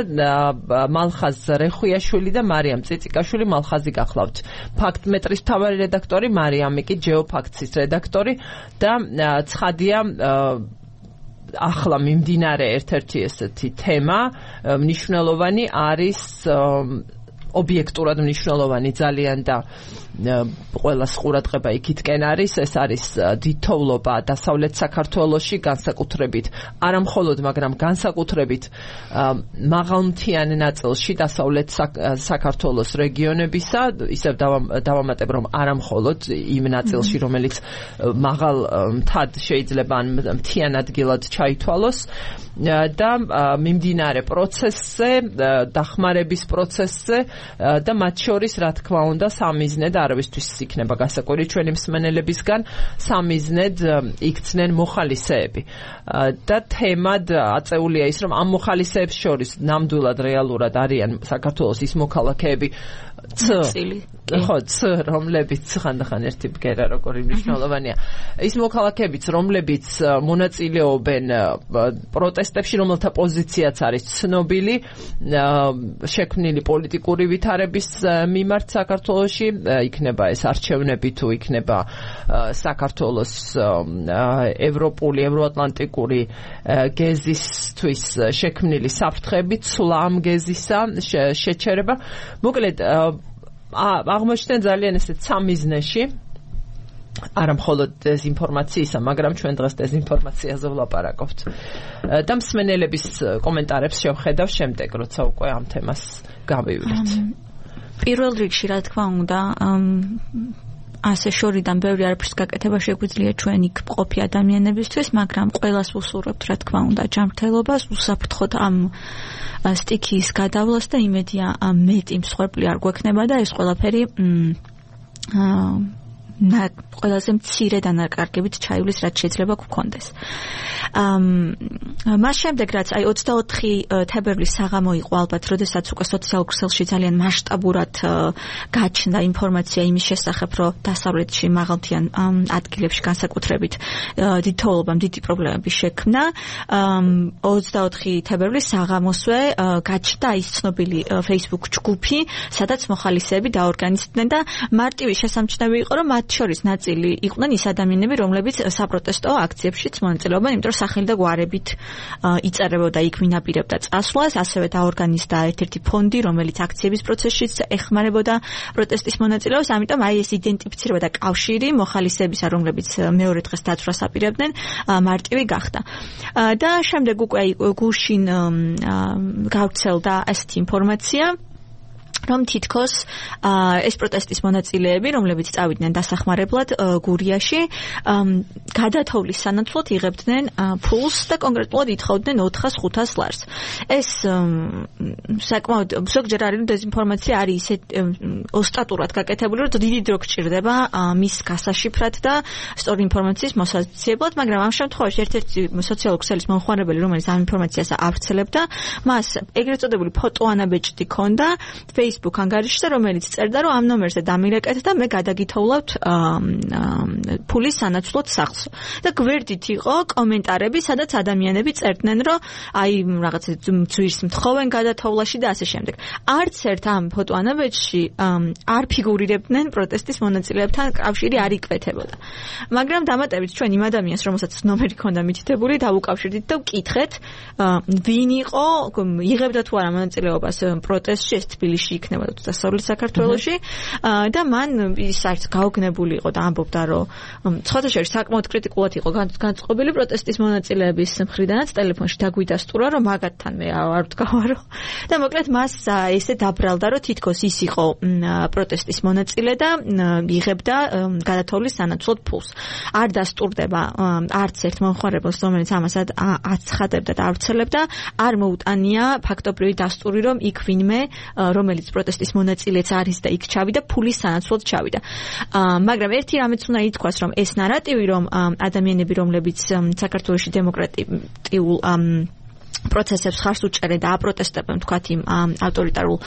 მალხაზ რეხვიაშვილი და მარიამ წიწიკაშვილი. მალხაზი გახლავთ ფაქტმეტრის მთავარი რედაქტორი, მარიამი კი ჯეოფაქტსის რედაქტორი და ცხადია ახლა მიმდინარე ერთ-ერთი ესეთი თემა მნიშვნელოვანი არის ობიექტურად მნიშვნელოვანი ძალიან და ყველას ყურადღება იქითკენ არის, ეს არის დიდთოვლობა დასავლეთ საქართველოში, განსაკუთრებით არა მხოლოდ, მაგრამ განსაკუთრებით მაღალმთიან ნაწილში დასავლეთ საქართველოს რეგიონებისა, ისევ დავამატებ, რომ არა მხოლოდ იმ ნაწილში, რომელიც მაღალ მთად შეიძლება ან მთიან ადგილად ჩაითვალოს და მიმდინარე პროცესზე, დახმარების პროცესზე და მათ შორის რა თქმა უნდა სამიზნედ არავისთვის იქნება გასაკვირი ჩვენი მსმენელებისგან, სამიზნედ იქცნენ მოხალისეები და თემად აწეულია ის, რომ ამ მოხალისეებს შორის ნამდვილად რეალურად არიან საქართველოს ის მოქალაქეები, ხო, რომლებიც ხანდახან ერთი ბგერა როგორი მნიშვნელოვანია. ის მოქალაქეებიც, რომლებიც მონაწილეობენ პროტესტებში, რომელთა პოზიციაც არის ცნობილი, შექმნილი პოლიტიკური ვითარების მიმართ საქართველოში, იქნება ეს არჩევნები თუ იქნება საქართველოს ევროპული, ევროატლანტიკური გეზისთვის შექმნილი საფრთხები, ცვლა ამ გეზისა შეჩერება. მოკლედ აღმოჩნდნენ ძალიან ესე ცამიზნეში, არა მხოლოდ დეზინფორმაციისა, მაგრამ ჩვენ დღეს დეზინფორმაციაზე ვლაპარაკობთ. და მსმენელების კომენტარებს შევხედავ შემდეგ, როცა უკვე ამ თემას გავივლით. პირველ რიგში, რა თქმა უნდა, ასე შორიდან ბევრი არაფრის გაკეთება შეგვიძლია ჩვენ იქ მყოფი ადამიანებისთვის, მაგრამ ყველას ვუსურვებთ, რა თქმა უნდა, ჯანმრთელობას, უსაფრთხოდ ამ სტიქიის გადავლას და იმედია მეტი მსხვერპლი არ გვექნება და ეს ყველაფერი და ყველაზე მცირე დანაკარგებით ჩაივლის, რაც შეიძლება გქონდეს. მას შემდეგ, რაც აი ოცდაოთხი თებერვლის საღამო იყო ალბათ, როდესაც უკვე სოციალურ ქსელში ძალიან მასშტაბურად გაჩნდა ინფორმაცია იმის შესახებ, რომ დასავლეთში მაღალმთიან ადგილებში განსაკუთრებით დიდი თოვლობა, დიდი პრობლემები შექმნა. ოცდაოთხი თებერვლის საღამოსვე გაჩნდა ის ცნობილი Facebook ჯგუფი, სადაც მოხალისეები დაორგანიზდნენ და მარტივი შესამჩნევი იყო, რომ მათ შორის ნაწილი იყვნენ ის ადამიანები, რომლებიც საპროტესტო აქციებშიც მონაწილეობენ, იმიტომ რომ სახელი და გვარებით იწერებოდა იქ ვინაპირებდა წასვლას, ასევე დაორგანიზდა ერთ-ერთი ფონდი, რომელიც აქციების პროცესშიც ეხმარებოდა პროტესტის მონაწილეებს, ამიტომ აი ეს იდენტიფიცირება და კავშირი მოხალისეებისა, რომლებიც მეორე დღეს დაცვას აპირებდნენ, მარტივი გახდა. და შემდეგ უკვე აი გუშინ გავრცელდა ასეთი ინფორმაცია, რომ თითქოს ეს პროტესტის მონაწილეები, რომლებიც წავიდნენ დასახმარებლად გურიაში, გადათოვლის სანაცვლოდ იღებდნენ ფულს და კონკრეტულად ითხოვდნენ ოთხას ხუთას ლარს. ეს საკმაოდ ზოგჯერ არის დეზინფორმაცია არის ისე ოსტატურად გაკეთებული, რომ დიდი დრო გჭირდება მის გასაშიფრად და სწორი ინფორმაციის მოსაცემად, მაგრამ ამ შემთხვევაში ერთ-ერთი სოციალური ქსელის მომხმარებელი, რომელიც ამ ინფორმაციას ავრცელებდა, მას ეგრეთ წოდებული ფოტოანაბეჭდი ჰქონდა Facebook ანგარიშზე, რომელიც წერდა, რომ ამ ნომერზე დამირეკეთ და მე გადაგითოვლავთ ფულის სანაცვლოდ სახლს. და გვერდით იყო კომენტარები, სადაც ადამიანები წერდნენ, რომ აი რაღაცა ძვირს მთხოვენ გადათოვლაში და ასე შემდეგ. არც ერთ ამ ფოტოანაბეჭდში არ ფიგურირებდნენ პროტესტის მონაწილეებთან კავშირი არ იკვეთებოდა. მაგრამ დამატებით ჩვენ იმ ადამიანს, რომელსაც ნომერი ჰქონდა მითითებული, დავუკავშირდით და ვკითხეთ, ვინ იყო, იღებდა თუ არა მონაწილეობას პროტესტში, ეს თბილისში იქნება თუ დასავლეთ საქართველოში და მან ის არც გაოგნებული იყო და ამბობდა, რომ სხვადასხვა საკმაოდ კრიტიკულად იყო განწყობილი პროტესტის მონაწილეების მხრიდანაც, ტელეფონში დაგვიდასტურა, რომ მაგათთან მე არ ვდგავარო და მოკლედ მას ესე დაბრალდა, რომ თითქოს ის იყო პროტესტის მონაწილე და იღებდა გადათოვლის სანაცვლოდ ფულს. არ დასტურდება არც ერთ მომხმარებელს, რომელიც ამას აცხადებდა და ავრცელებდა, არ მოუტანია ფაქტობრივი დასტური, რომ იქ ვინმე, რომელიც პროტესტის მონაწილეც არის და იქ ჩავიდა, ფულის სანაცვლოდ ჩავიდა. მაგრამ ერთი რამეც უნდა ითქვას, რომ ეს ნარატივი, რომ ადამიანები, რომლებიც საქართველოში დემოკრატიულ პროცესებს ხარს უჭერენ და აპროტესტებენ თქვათ იმ ავტორიტარულ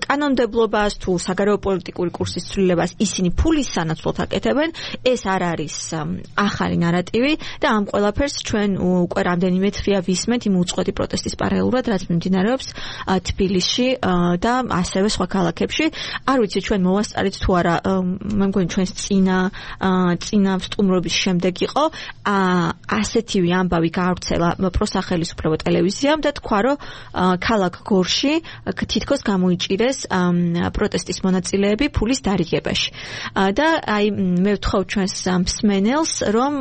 კანონმდებლობას თუ საგარეო პოლიტიკური კურსის ცვლილებას, ისინი ფულის სანაცვლოდ აკეთებენ, ეს არ არის ახალი ნარატივი და ამ ყველაფერს ჩვენ უკვე რამდენიმე თვეა ვისმენთ იმ უწყვეტი პროტესტის პარალელურად, რაც მიმდინარეობს თბილისში და ასევე სხვა ქალაქებში. არ ვიცი ჩვენ მოვასწარეთ თუ არა, მე მგონი ჩვენს წინა წინა სტუმრობის შემდეგ იყო ასეთივე ამბავი გავრცელა პროსახელისუფლებო ტელევიზიამ და თქვა, რომ ქალაქ გორში თითქოს გამოიჭირეს პროტესტის მონაწილეები ფულის დარიგებაში. და აი მე ვთხოვ ჩვენს მსმენელს, რომ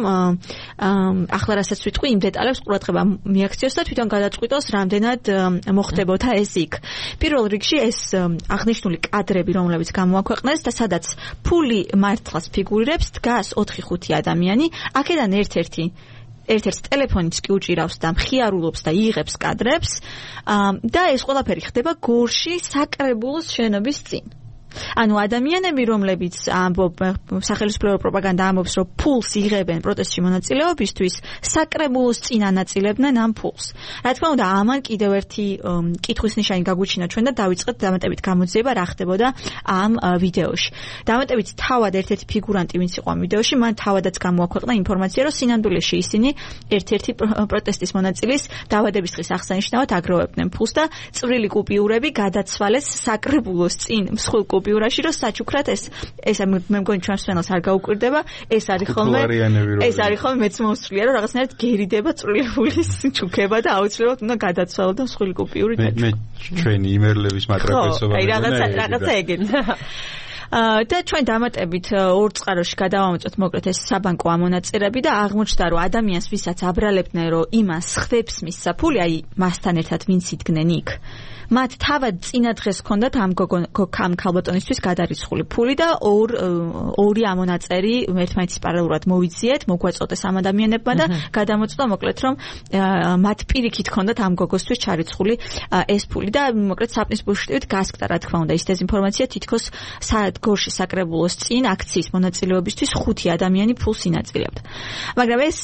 ახლა რასაც ვიტყვი, იმ დეტალებს ყურადღება მიაქციოს და თვითონ გადაწყვიტოს, რამდენად მოხდებოდა ეს იქ. პირველ რიგში ეს აღნიშნული კადრები, რომლებიც გამოაქვეყნეს და სადაც ფული მართლაც ფიგურირებს, დგას ოთხი ხუთი ადამიანი, აქედან ერთ-ერთი ერთ-ერთ ტელეფონიც კი უჭირავს და მხიარულობს და იღებს კადრებს და ეს ყველაფერი ხდება გორში საკრებულოს შენობის წინ. ანუ ადამიანები, რომლებიც სახელმწიფო პროპაგანდა ამბობს, რომ ფულს იღებენ პროტესტში მონაწილეობისთვის, საკრებულოს წინ ანაწილებდნენ ამ ფულს. Რა თქმა უნდა, ამან კიდევ ერთი კითხვის ნიშანი გაგვიჩინა ჩვენ და დავიწყეთ დამატებით გამოძიება რა ხდებოდა ამ ვიდეოში. დამატებით თავად ერთ-ერთი ფიგურანტი, ვინც იყო ამ ვიდეოში, მან თავადაც გამოაქვეყნა ინფორმაცია, რომ სინამდვილეში ისინი ერთ-ერთი პროტესტის მონაწილის დავადების დღის აღსანიშნავად აგროვებდნენ ფულს და წვრილი კუპიურები გადაცვალეს საკრებულოს წინ მსხვილ კუპიურაში, რომ საჩუქრად ეს ეს მე მგონი ჩვენს მშვენელს არ გაუკვირდება, ეს არის ხოლმე ეს არის ხოლმე მეც მომსვლია, რომ რაღაცნაირად გერიდება წვრილი ფულის ჩუქება და აუცილებლად უნდა გადაცვალო და მსხვილი კუპიური მე მე ჩვენი იმერლების მატრაპესობა აი რაღაცა რაღაცა ეგეთი და ჩვენ დამატებით ორ წყაროში გადავამოწოთ მოკლედ ეს საბანკო ამონაწერები და აღმოჩნდა რომ ადამიანს ვისაც აბრალებდნენ რომ იმას ხვდებს მის საფული აი მასთან ერთად ვინც იდგნენ იქ მათ თავად წინა დღეს ჰქონდათ ამ გოგო ქალბატონისთვის გადარიცხული ფული და ორ ორი ამონაწერი ერთმანეთის პარალელურად მოვიძიეთ, მოგვაწოდეს ამ ადამიანებმა და გადამოწდა მოკლედ რომ მათ პირიქით ჰქონდათ ამ გოგოსთვის ჩარიცხული ეს ფული და მოკლედ საპნის ბუშტივით გასკდა რა თქმა უნდა ის დეზინფორმაცია თითქოს გორში საკრებულოს წინ აქციის მონაწილეობისთვის ხუთი ადამიანი ფულს ინაწილებდა. მაგრამ ეს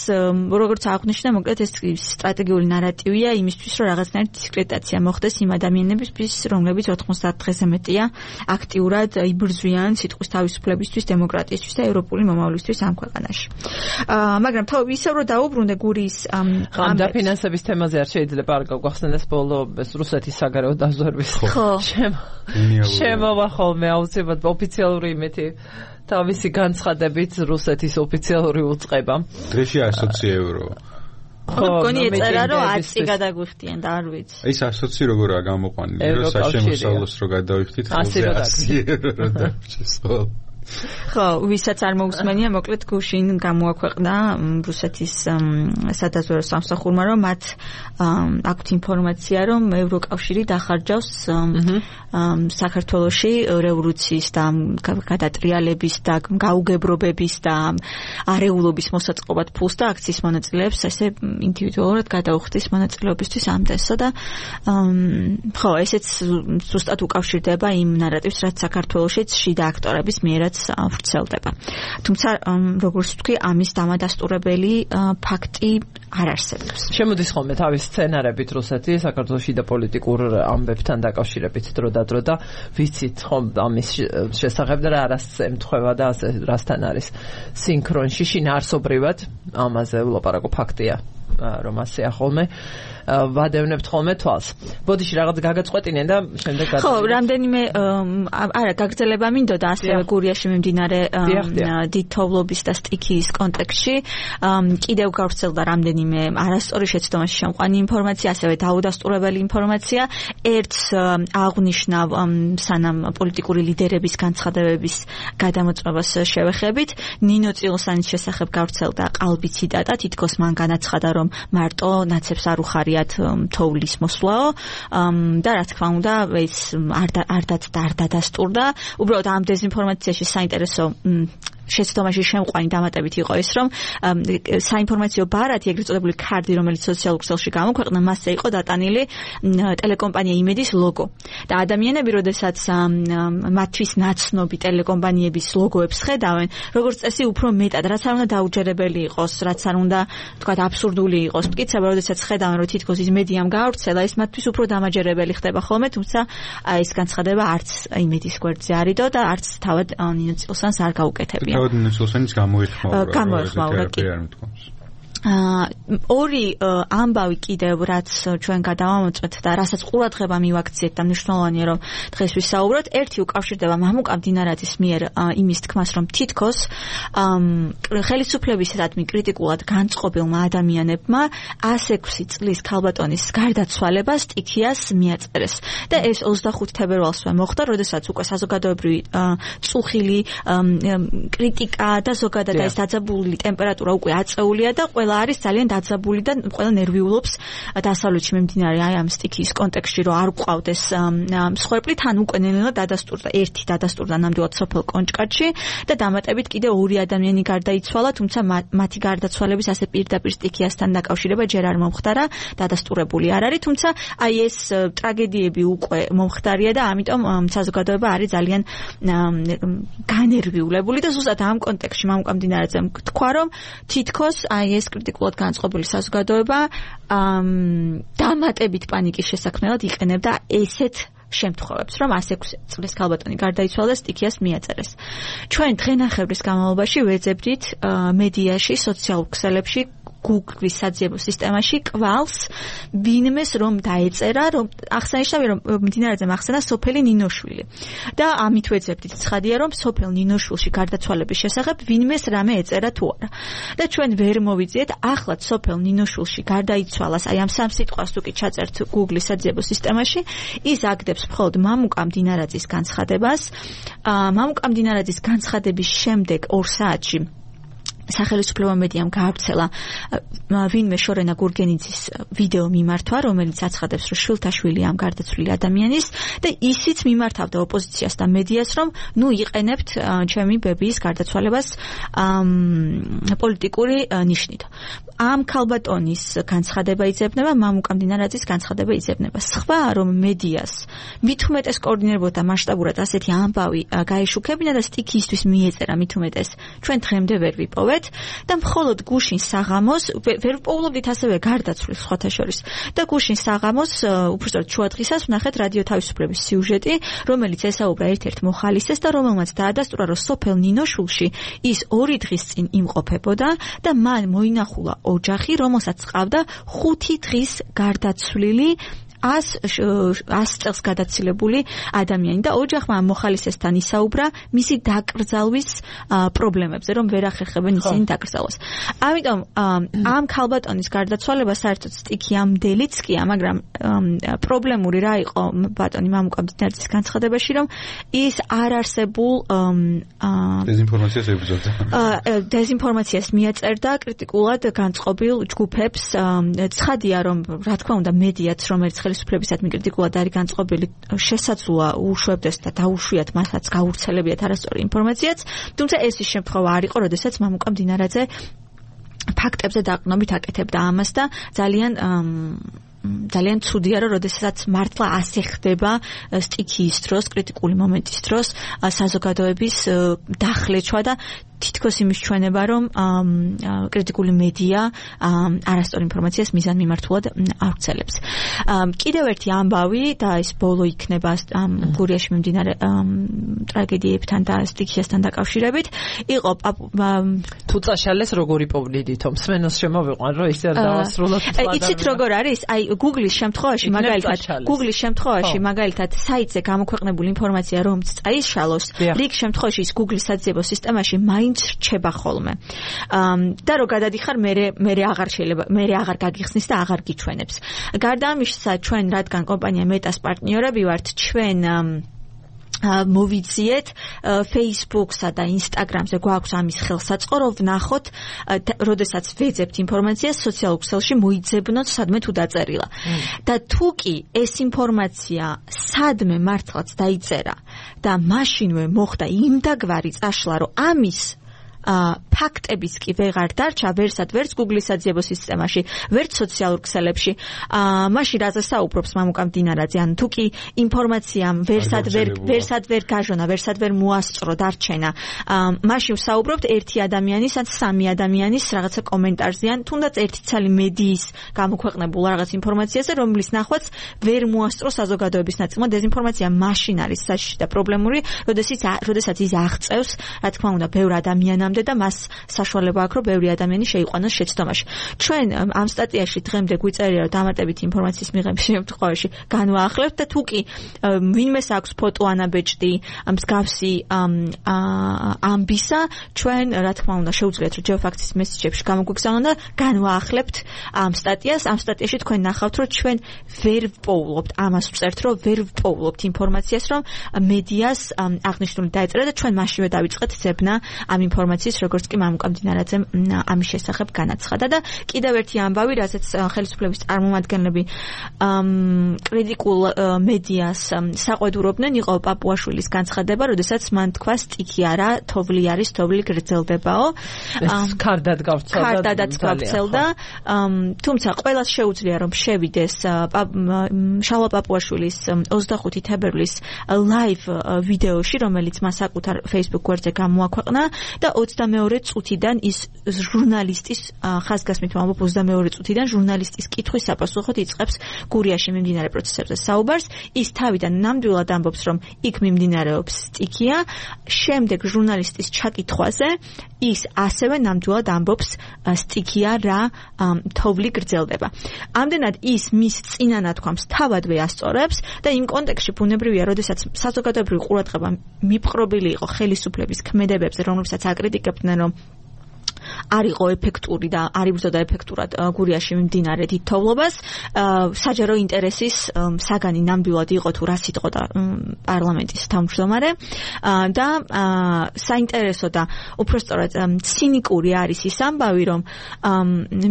როგორც აღნიშნა მოკლედ ეს სტრატეგიული ნარატივია იმისთვის რომ რაღაცნაირად დისკრედიტაცია მოხდეს იმ ადამიანებისთვის, რომლებიც ოთხმოცდაათ დღეზე მეტია აქტიურად იბრძვიან სიტყვის თავისუფლებისთვის, დემოკრატიისთვის და ევროპული მომავლისთვის ამ ქვეყანაში. მაგრამ თავ ისევ რომ დაუბრუნდე გურის ამ დაფინანსების თემაზე არ შეიძლება არ გავხსენდეს ბოლო ეს რუსეთის საგარეო დაზვერვის შემოვა ხოლმე აუცილებლად ოფიციალური იმეთი თავისი განცხადებით რუსეთის ოფიციალური უწყება. დღეში ასოცი ევრო. ხო, მგონი ეწერა რომ ათი გადაგვიხდიან და არ ვიცი. ის ასოცი როგორაა გამოყვანილი, რომ საშემოსავლოს რო გადავიხდით, ხელზე ათი ევრო რო დარჩეს ხოლმე. ხო, ვისაც არ მოусმენია, მოკლედ გუშინ გამოაქვეყნა რუსეთის სადაზვერვო სამსახურმა, რომ მათ აქვთ ინფორმაცია, რომ ევროკავშირი დახარჯავს საქართველოში რევოლუციის და გადატრიალების და გაუგებრობების და არეულობის მოსაწყობად ფულს და აქციის მონაწილეებს ესე ინდივიდუალურად გადაუხდის მონაწილეობისთვის ამდენსო და ხო, ესეც ზუსტად უკავშირდება იმ ნარატივს, რაც საქართველოშიც შიდა აქტორების მიერაც ვრცელდება. თუმცა როგორც ვთქვი, ამის დამადასტურებელი ფაქტი არ არსებობს. შემოდის ხოლმე თავის სცენარებით რუსეთი საქართველოში და პოლიტიკურ ამბებთან დაკავშირებით დრო და დრო და ვიცით ხომ ამის შესახებ და რა რას ემთხვევა და რასთან არის სინქრონში შინაარსობრივად ამაზე ვლაპარაკო ფაქტია რომ ასეა ხოლმე ვადევნებთ ხოლმე თვალს. ბოდიში რაღაც გაგაწყვეტინენ და შემდეგ გადავიდეთ. ხო, რამდენიმე არა, გაგრძელება მინდოდა ასევე გურიაში მიმდინარე დიდთოვლობის და სტიქიის კონტექსტში. კიდევ გავრცელდა რამდენიმე არასწორი შეცდომაში შემყვანი ინფორმაცია, ასევე დაუდასტურებელი ინფორმაცია. ერთს აღნიშნა სანამ პოლიტიკური ლიდერების განცხადებების გადამოწმებას შევეხებით, ნინო წილოსანის შესახებ გავრცელდა qalbi ციტატა, თითქოს მან განაცხადა, რომ მარტო ნაცებს არ უხარია თოვლის მოსვლაო და რა თქმა უნდა ეს არ არ არ დადასტურდა. უბრალოდ ამ დეზინფორმაციაში საინტერესო შეცდომაში შემყვანი დამატებით იყო ის, რომ საინფორმაციო ბარათი, ეგრეთ წოდებული ქარდი, რომელიც სოციალურ ქსელში გამოქვეყნა, მასზე იყო დატანილი ტელეკომპანია იმედის ლოგო. და ადამიანები, როდესაც მათთვის ნაცნობი ტელეკომპანიების ლოგოებს ხედავენ, როგორც წესი, უფრო მეტად, რაც არ უნდა დაუჯერებელი იყოს, რაც არ უნდა, თქვათ, აბსურდული იყოს, მტკიცება, როდესაც ხედავენ, რომ თითქოს ის მედიამ გაავრცელა, ეს მათთვის უფრო დამაჯერებელი ხდება ხოლმე, თუმცა ეს განცხადება არც იმედის გვერდზე არიდო და არც თავად ნინო წილოსანს არ გაუკეთებია. თავად ნინოსლოსანის გამოიხმაურა. გამოიხმაურა კი. ორი ამბავი კიდევ რაც ჩვენ გადავამოწმეთ და რასაც ყურადღება მივაქციეთ და მნიშვნელოვანია რომ დღეს ვისაუბროთ, ერთი უკავშირდება მამუკა მდინარაძის მიერ იმის თქმას, რომ თითქოს ხელისუფლებისადმი კრიტიკულად განწყობილმა ადამიანებმა ასი ექვსი წლის ქალბატონის გარდაცვალება სტიქიას მიაწერეს და ეს ოცდახუთი თებერვალსვე მოხდა, როდესაც უკვე საზოგადოებრივი წუხილი კრიტიკა და ზოგადად ეს დაძაბული ტემპერატურა უკვე აწეულია და ყველა ყველა არის ძალიან დაძაბული და ყველა ნერვიულობს დასავლეთში მიმდინარე აი ამ სტიქიის კონტექსტში რომ არ გვყავდეს მსხვერპლი თან უკვე ნელ-ნელა დადასტურდა ერთი დადასტურდა ნამდვილად სოფელ კონჭკათში და დამატებით კიდე ორი ადამიანი გარდაიცვალა თუმცა მათი გარდაცვალების ასე პირდაპირ სტიქიასთან დაკავშირება ჯერ არ მომხდარა დადასტურებული არ არის თუმცა აი ეს ტრაგედიები უკვე მომხდარია და ამიტომ საზოგადოება არის ძალიან განერვიულებული და ზუსტად ამ კონტექსტში მამუკამდინარაძე თქვა რომ თითქოს აი ეს კრიტიკულად განწყობილი საზოგადოება დამატებით პანიკის შესაქმნელად იყენებდა ესეთ შემთხვევებს, რომ ასი ექვსი წლის ქალბატონი გარდაიცვალა და სტიქიას მიაწერეს. ჩვენ დღენახევრის განმავლობაში ვეძებდით მედიაში, სოციალურ ქსელებში Google-ის საძიებო სისტემაში კვალს ვინმეს რომ დაეწერა, რომ აღსანიშნავია რომ მდინარაძემ ახსენა სოფელი ნინოშვილი. და ამით ვეძებდით ცხადია რომ სოფელ ნინოშვილში გარდაცვალების შესახებ ვინმეს რამე ეწერა თუ არა. და ჩვენ ვერ მოვიძიეთ ახლაც სოფელ ნინოშვილში გარდაიცვალას, აი ამ სამ სიტყვას თუ კი ჩაწერთ Google-ის საძიებო სისტემაში, ის აგდებს მხოლოდ მამუკა მდინარაძის განცხადებას. მამუკა მდინარაძის განცხადების შემდეგ ორ საათში სახელმწიფო მედიამ გაავრცელა ვინმე შორენა გურგენიძის ვიდეო მიმართვა, რომელიც აცხადებს, რომ შვილთაშვილი ამ გარდაცვლილი ადამიანის და ისიც მიმართავდა ოპოზიციას და მედიას, რომ ნუ იყენებთ ჩემი ბებიის გარდაცვალებას პოლიტიკური ნიშნით. ამ ქალბატონის განცხადება იძებნება, მამუკა მდინარაძის განცხადება იძებნება. სხვა რომ მედიას მით უმეტეს კოორდინირებოდა მასშტაბურად ასეთი ამბავი გაეშუქებინა და სტიქიისთვის მიეწერა მით უმეტეს ჩვენ დღემდე ვერ ვიპოვეთ და მხოლოდ გუშინ საღამოს ვერ პოულობდით ასევე გარდაცვლის სხვათა შორის და გუშინ საღამოს უბრალოდ შუადღისას ვნახეთ რადიო თავისუფლების სიუჟეტი, რომელიც ესაუბრა ერთ-ერთ მოხალისეს და რომელმაც დაადასტურა, რომ სოფელ ნინოშვილში ის ორი დღის წინ იმყოფებოდა და მან მოინახულა ოჯახი, რომელსაც ჰყავდა ხუთი დღის გარდაცვლილი ას წელს გადაცილებული ადამიანი და ოჯახმა მოხალისესთან ისაუბრა მისი დაკრძალვის პრობლემებზე, რომ ვერ ახერხებენ ისინი დაკრძალვას. ამიტომ ამ ქალბატონის გარდაცვალება საერთოდ სტიქიამდელიც კია, მაგრამ პრობლემური რა იყო ბატონი მამუკა მდინარაძის განცხადებაში, რომ ის არ არსებულ დეზინფორმაციას ებრძოდა. დეზინფორმაციას მიაწერდა კრიტიკულად განწყობილ ჯგუფებს. ცხადია, რომ რა თქმა უნდა მედიაც, რომელიც ხელისუფლებისადმი კრიტიკულად არის განწყობილი, შესაძლოა უშვებდეს და დაუშვიათ მასაც გაურცელებიათ არასწორი ინფორმაციაც, თუმცა ეს ის შემთხვევა არ იყო, როდესაც მამუკა მდინარაძე ფაქტებზე დაყრდნობით აკეთებდა ამას და ძალიან ძალიან ცუდია, რომ როდესაც მართლა ასე ხდება სტიქიის დროს, კრიტიკული მომენტის დროს საზოგადოების დახლეჩვა და თითქოს იმის ჩვენება, რომ კრიტიკული მედია არასწორ ინფორმაციას მიზანმიმართულად ავრცელებს. კიდევ ერთი ამბავი და ის ბოლო იქნება გურიაში მიმდინარე ტრაგედიებთან და სტიქიასთან დაკავშირებით, იყო თუ წაშალეს როგორი პოვლიდითო მსმენელს შემოვიყვან, რომ ისე არ დავასრულოთ. იცით როგორ არის? აი Google-ის შემთხვევაში მაგალითად Google-ის შემთხვევაში მაგალითად საიტზე გამოქვეყნებული ინფორმაცია რომც წაიშალოს, რიგ შემთხვევაში ის Google-ის საძიებო სისტემაში მაინც რჩება ხოლმე. და რო გადადიხარ, მე მე აღარ შეიძლება, მე აღარ გაგიხსნის და აღარ გიჩვენებს. გარდა ამისა, ჩვენ რადგან კომპანია მეტას პარტნიორები ვართ, ჩვენ მოვიძიეთ Facebook-სა და Instagram-ზე გვაქვს ამის ხელსაწყო, რომ ვნახოთ, როდესაც ვეძებთ ინფორმაციას სოციალურ ქსელში მოიძებნოთ სადმე თუ დაწერილა. და თუ კი ეს ინფორმაცია სადმე მართლაც დაიწერა და მაშინვე მოხდა იმდაგვარი წაშლა, რომ ამის ფაქტებიც კი ვეღარ დარჩა ვერსად ვერც Google-ის საძიებო სისტემაში, ვერც სოციალურ ქსელებში. მაშინ რაზე საუბრობს მამუკა მდინარაძე, ან თუ კი ინფორმაციამ ვერსად ვერ ვერსად ვერ გაჟონა, ვერსად ვერ მოასწრო დარჩენა, მაშინ საუბრობთ ერთი ადამიანის ან სამი ადამიანის რაღაცა კომენტარზე, ან თუნდაც ერთი ცალი მედიის გამოქვეყნებულ რაღაც ინფორმაციაზე, რომლის ნახვაც ვერ მოასწრო საზოგადოების ნაწილმა. დეზინფორმაცია მაშინ არის საშიში და პრობლემური, როდესაც ის აღწევს, რა თქმა უნდა, ბევრ ადამიანს და მას საშუალება აქვს, რომ ბევრი ადამიანი შეიყვანოს შეცდომაში. ჩვენ ამ სტატიაში დღემდე გვიწერია, რომ დამატებით ინფორმაციის მიღების შემთხვევაში განვაახლებთ და თუ კი ვინმეს აქვს ფოტო ანაბეჭდი მსგავსი ამბისა, ჩვენ რა თქმა უნდა შეუძლიათ, რომ ჯეოფაქტის მესიჯებში გამოგვიგზავნონ და განვაახლებთ ამ სტატიას. ამ სტატიაში თქვენ ნახავთ, რომ ჩვენ ვერ ვპოულობთ, ამას ვწერთ, რომ ვერ ვპოულობთ ინფორმაციას, რომ მედიას აღნიშნული დაეწერა და ჩვენ მაშინვე დავიწყეთ ძებნა ამ ინფორმაციას ინფორმაციის, როგორც კი მამუკა მდინარაძემ ამის შესახებ განაცხადა და კიდევ ერთი ამბავი, რასაც ხელისუფლების წარმომადგენლები კრიტიკულ მედიას საყვედურობდნენ, იყო პაპუაშვილის განცხადება, როდესაც მან თქვა სტიქია რა, თოვლი არის, თოვლი გრძელდებაო. ეს ქარდად გავცელდა. ქარდადაც გავცელდა. თუმცა ყველას შეუძლია რომ შევიდეს შალვა პაპუაშვილის ოცდახუთი თებერვლის live ვიდეოში, რომელიც მას საკუთარ Facebook გვერდზე გამოაქვეყნა და ოცდამეორე წუთიდან ის ჟურნალისტის ხაზგასმით ვამბობ ოცდამეორე წუთიდან ჟურნალისტის კითხვის საპასუხოდ იწყებს გურიაში მიმდინარე პროცესებზე საუბარს. ის თავიდან ნამდვილად ამბობს, რომ იქ მიმდინარეობს სტიქია, შემდეგ ჟურნალისტის ჩაკითხვაზე ის ასევე ნამდვილად ამბობს სტიქია რა, თოვლი გრძელდება. ამდენად ის მის წინა ნათქვამს თავადვე ასწორებს და იმ კონტექსტში ბუნებრივია, როდესაც საზოგადოებრივი ყურადღება მიპყრობილი იყო ხელისუფლების ქმედებებზე, რომლებსაც აკრიტიკებდნენ, რომ არ იყო ეფექტური და არ იბრძოდა ეფექტურად გურიაში მიმდინარე დიდ თოვლობას, საჯარო ინტერესის საგანი ნამდვილად იყო თუ რა სიტყოდა პარლამენტის თავმჯდომარე და საინტერესო და უпростоრად ცინიკური არის ის ამბავი, რომ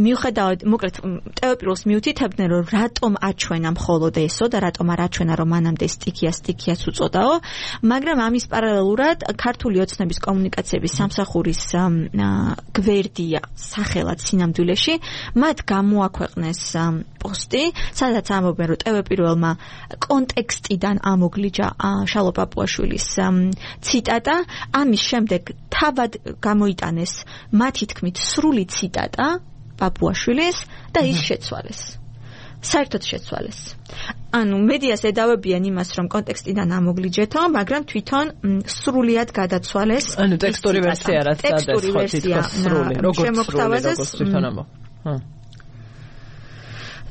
მიუხედავად მოკლედ ტევეპიროს მიუთითებდნენ, რომ რატომ აჩვენა მხოლოდ ესო და რატომ არ აჩვენა, რომ მანამდე სტიქია სტიქიაც უწოდაო, მაგრამ ამის პარალელურად ქართული ოცნების კომუნიკაციების სამსახურის გვერდია სახელად სინამდვილეში, მათ გამოაქვეყნეს პოსტი, სადაც ამბობენ, რომ ტევეპირველმა კონტექსტიდან ამოგლიჯა შალვა პაპუაშვილის ციტატა, ამის შემდეგ თავად გამოიტანეს მათი თქმით სრული ციტატა პაპუაშვილის და ის შეცვალეს. საერთოდ შეცვალეს. ანუ მედიას ედავებიან იმას, რომ კონტექსტიდან ამოგლიჯეთო, მაგრამ თვითონ სრულიად გადაცვალეს. ანუ ტექსტური ვერსია რაც ტექსტური ვერსია სრული, როგორც შემოგვთავაზეს. თვითონ ამბობ. ჰა.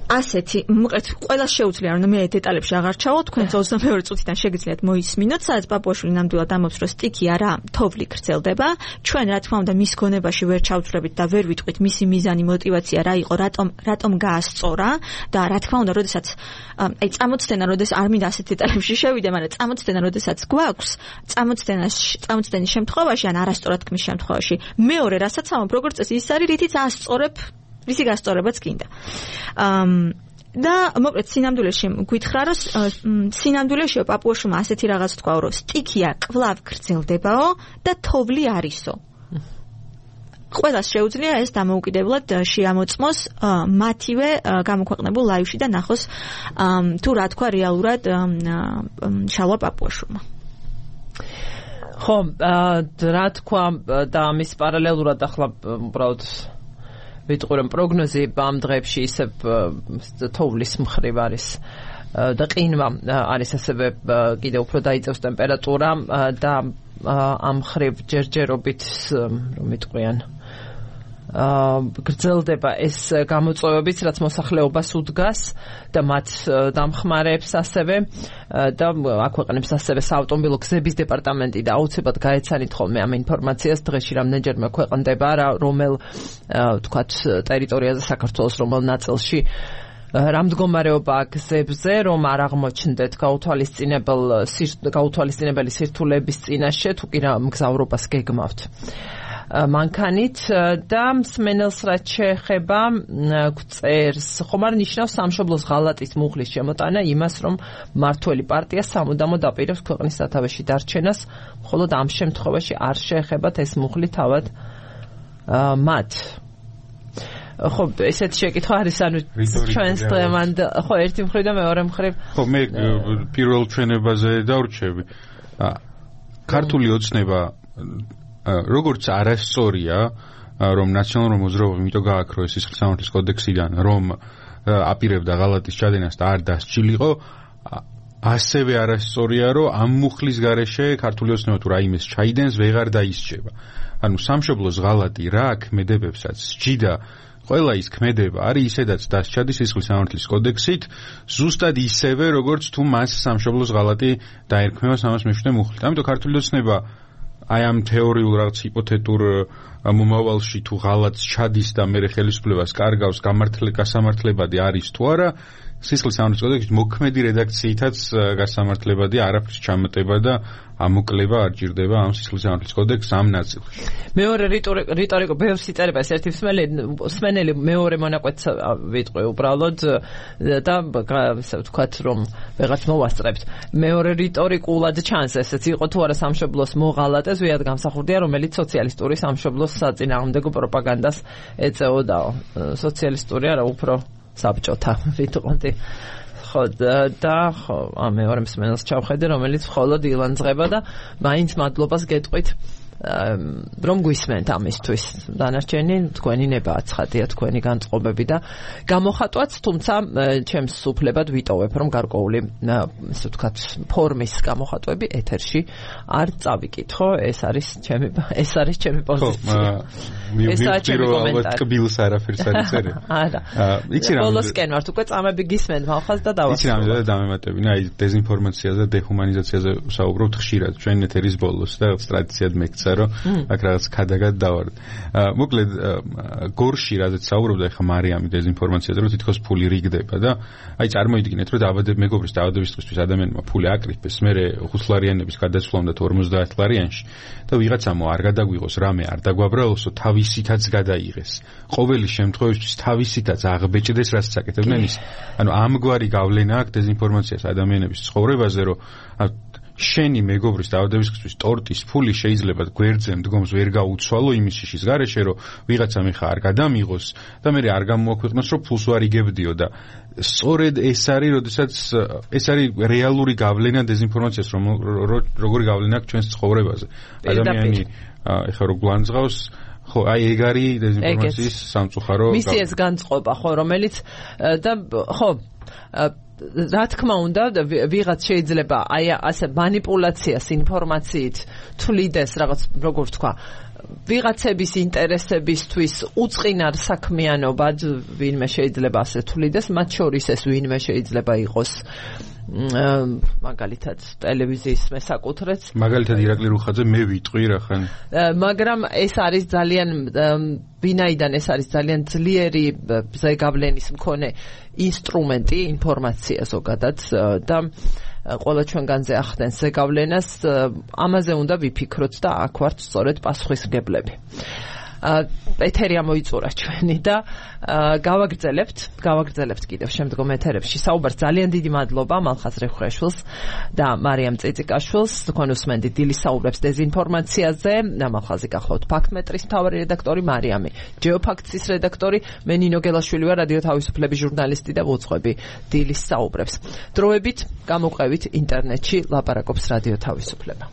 ასეთი, მოკლედ, ყველას შეუძლია, რომ მე დეტალებში აღარ ჩავალ, თქვენ ოცდამეორე წუთიდან შეგიძლიათ მოისმინოთ, სადაც პაპუაშვილი ნამდვილად ამბობს, რომ სტიქია რა, თოვლი გრძელდება. ჩვენ რა თქმა უნდა მის გონებაში ვერ ჩავწვლებით და ვერ ვიტყვით მისი მიზანი, мотиваცია რა იყო, რატომ რატომ გაასწორა და რა თქმა უნდა, როდესაც აი წამოცდენა, როდესაც არ მინდა ასეთ დეტალებში შევიდე, მაგრამ წამოცდენა, როდესაც გვაქვს, წამოცდენაში, წამოცდენის შემთხვევაში ან არასწორად თქმის შემთხვევაში, მეორე რასაც ამბობ, როგორც წესი ის არის, რითიც ასწორებ რისი გასწორებაც გინდა. და მოკლედ სინამდვილეში გითხრა, რომ სინამდვილეში პაპუაშვილმა ასეთი რაღაც თქვა, რომ სტიქია კვლავ გრძელდებაო და თოვლი არისო. ყველას შეუძლია ეს დამოუკიდებლად შეამოწმოს მათივე გამოქვეყნებულ ლაივში და ნახოს თუ რა თქვა რეალურად შალვა პაპუაშვილმა. ხო, რა თქვა და ამის პარალელურად ახლა უბრალოდ ვიტყვი რომ პროგნოზი ამ დღეებში ისევ თოვლის მხრივ არის და ყინვა არის ასევე კიდევ უფრო დაიწევს ტემპერატურა და ამ მხრივ ჯერჯერობით რომ ვიტყვიან გრძელდება ეს გამოწვევებიც, რაც მოსახლეობას უდგას და მათ დამხმარებს ასევე და აქვეყნებს ასევე საავტომობილო გზების დეპარტამენტი და აუცილებლად გაეცანით ხოლმე ამ ინფორმაციას დღეში რამდენჯერმე ქვეყნდება რა რომელ თქვათ ტერიტორიაზე საქართველოს რომელ ნაწილში რა მდგომარეობაა გზებზე, რომ არ აღმოჩნდეთ გაუთვალისწინებელ გაუთვალისწინებელი სირთულეების წინაშე, თუ კი რა მგზავრობას გეგმავთ. მანქანით და მსმენელს რაც შეეხება გვწერს, ხომ არ ნიშნავს სამშობლოს ღალატის მუხლის შემოტანა იმას, რომ მმართველი პარტია სამუდამოდ აპირებს ქვეყნის სათავეში დარჩენას, მხოლოდ ამ შემთხვევაში არ შეეხებათ ეს მუხლი თავად მათ. ხო, ესეთი შეკითხვა არის, ანუ ჩვენს დღევანდ, ხო, ერთი მხრივ და მეორე მხრივ. ხო, მე პირველ ჩვენებაზე დავრჩები. ქართული ოცნება როგორც არასწორია, რომ ნაციონალურ მოძრაობამ იმიტომ გააქრო ეს სისხლის სამართლის კოდექსიდან, რომ აპირებდა ღალატის ჩადენას და არ დასჯილიყო, ასევე არასწორია, რომ ამ მუხლის გარეშე ქართული ოცნება თუ რაიმეს ჩაიდენს, ვეღარ დაისჯება. ანუ სამშობლოს ღალატი რა ქმედებებსაც სჯიდა ყველა ის ქმედება არის ისედაც დასჯადი სისხლის სამართლის კოდექსით, ზუსტად ისევე, როგორც თუ მას სამშობლოს ღალატი დაერქმევა სამას მეშვიდე მუხლით. ამიტომ ქართული ოცნება აი ამ თეორიულ რაღაც ჰიპოთეტურ მომავალში თუ ღალატს ჩადის და მე ხელისუფლებას კარგავს გამართლებადი არის თუ არა, სისხლის სამართლის კოდექსში მოქმედი რედაქციითაც გასამართლებადია, არაფრის ჩამატება და ამოკლება არ ჭირდება ამ სისხლის სამართლის კოდექსს ამ ნაწილში. მეორე რიტორიკო ბევრს იწერება ეს ერთი მსმენელი მეორე მონაკვეთს ვიტყვი უბრალოდ და ასე ვთქვათ რომ ვეღაც მოვასწრებთ. მეორე რიტორიკულად ჩანს ესეც იყო თუ არა სამშობლოს მოღალატეს ვიად გამსახურდია რომელიც სოციალისტური სამშობლოს საწინააღმდეგო პროპაგანდას ეწეოდაო. სოციალისტური არა უფრო საბჭოთა ვიტყოდი. ხო და ხო ამ მეორე მსმენელს ჩავხედე რომელიც მხოლოდ ილანძღება და მაინც მადლობას გეტყვით რომ გვისმენთ ამისთვის. დანარჩენი თქვენი ნება აცხადია თქვენი განწყობები და გამოხატვაც, თუმცა ჩემს უფლებად ვიტოვებ რომ გარკვეული ასე ვთქვათ ფორმის გამოხატვები ეთერში არ წავიკითხო. ეს არის ჩემი ეს არის ჩემი პოზიცია. ეს არის ჩემი კომენტარი. კბილს არაფერს არ იცერი. არა. იცი რა. ბოლოსკენ ვართ უკვე წამები გისმენთ მალხას და დავასრულებ. იცი რა დამემატებინა აი დეზინფორმაციაზე და დეჰუმანიზაციაზე ვსაუბრობთ ხშირად ჩვენ ეთერის ბოლოს და ტრადიციად მეკცა რომ აქ რაღაც ქადაგად დავარდ. მოკლედ გორში რაზეც საუბრობდა ახლა მარიამი დეზინფორმაციაზე რომ თითქოს ფული რიგდება და აი წარმოიდგინეთ რომ დაავადების მეგობრის დაავადებისთვის ადამიანმა ფული აკრიფეს, მერე ხუთლარიანების გადასვლა უნდა ორმოცდაათ ლარიანში და ვიღაცამო არ გადაგვიღოს რამე არ დაგვაბრალოსო თავისითაც გადაიღეს. ყოველი შემთხვევაში თავისითაც აღბეჭდეს რაც საკეთებდნენ ის. ანუ ამგვარი გავლენა აქვს დეზინფორმაციას ადამიანების ცხოვრებაზე რომ შენი მეგობრის დაავადებისთვის ტორტის ფული შეიძლება გვერდზე მდგომს ვერ გაუცვალო იმის შიშის გარეშე რომ ვიღაცა მიხა არ გადამიღოს და მე არ გამოაქვეყნოს რომ ფულს ვარ იგებდიო და სწორედ ეს არის როდესაც ეს არის რეალური გავლენა დეზინფორმაციას რომ როგორი გავლენა აქვს ჩვენს ცხოვრებაზე ადამიანი ეხლა რო გვანძღავს ხო აი ეგ არის დეზინფორმაციის სამწუხარო მისი ეს განწყობა ხო რომელიც და ხო რა თქმა უნდა ვიღაც შეიძლება აი ასე манипуляციას ინფორმაციით თვლიდეს რაღაც როგორ ვთქვა ვიღაცების ინტერესებისთვის უწყინარ საქმიანობად ვინმე შეიძლება ასე თვლიდეს მათ შორის ეს ვინმე შეიძლება იყოს მაგალითად ტელევიზიის მესაკუთრეც მაგალითად ირაკლი რუხაძე მე ვიტყვი რახან მაგრამ ეს არის ძალიან ვინაიდან ეს არის ძალიან ძლიერი ზეგავლენის მქონე ინსტრუმენტი ინფორმაცია ზოგადად და ყველა ჩვენგანზე ახდენს ზეგავლენას ამაზე უნდა ვიფიქროთ და აქ ვართ სწორედ პასუხისმგებლები ეთერი ამოიწურა ჩვენი და გავაგრძელებთ გავაგრძელებთ კიდევ შემდგომ ეთერებში საუბარს ძალიან დიდი მადლობა მალხაზ რეხვეშვილს და მარიამ წიწიკაშვილს თქვენ უსმენთ დილის საუბრებს დეზინფორმაციაზე მალხაზი გახლავთ ფაქტმეტრის მთავარი რედაქტორი მარიამი ჯეოფაქტსის რედაქტორი მე ნინო გელაშვილი ვარ რადიო თავისუფლების ჟურნალისტი და ვუძღვები დილის საუბრებს დროებით გამოყევით ინტერნეტში ლაპარაკობს რადიო თავისუფლება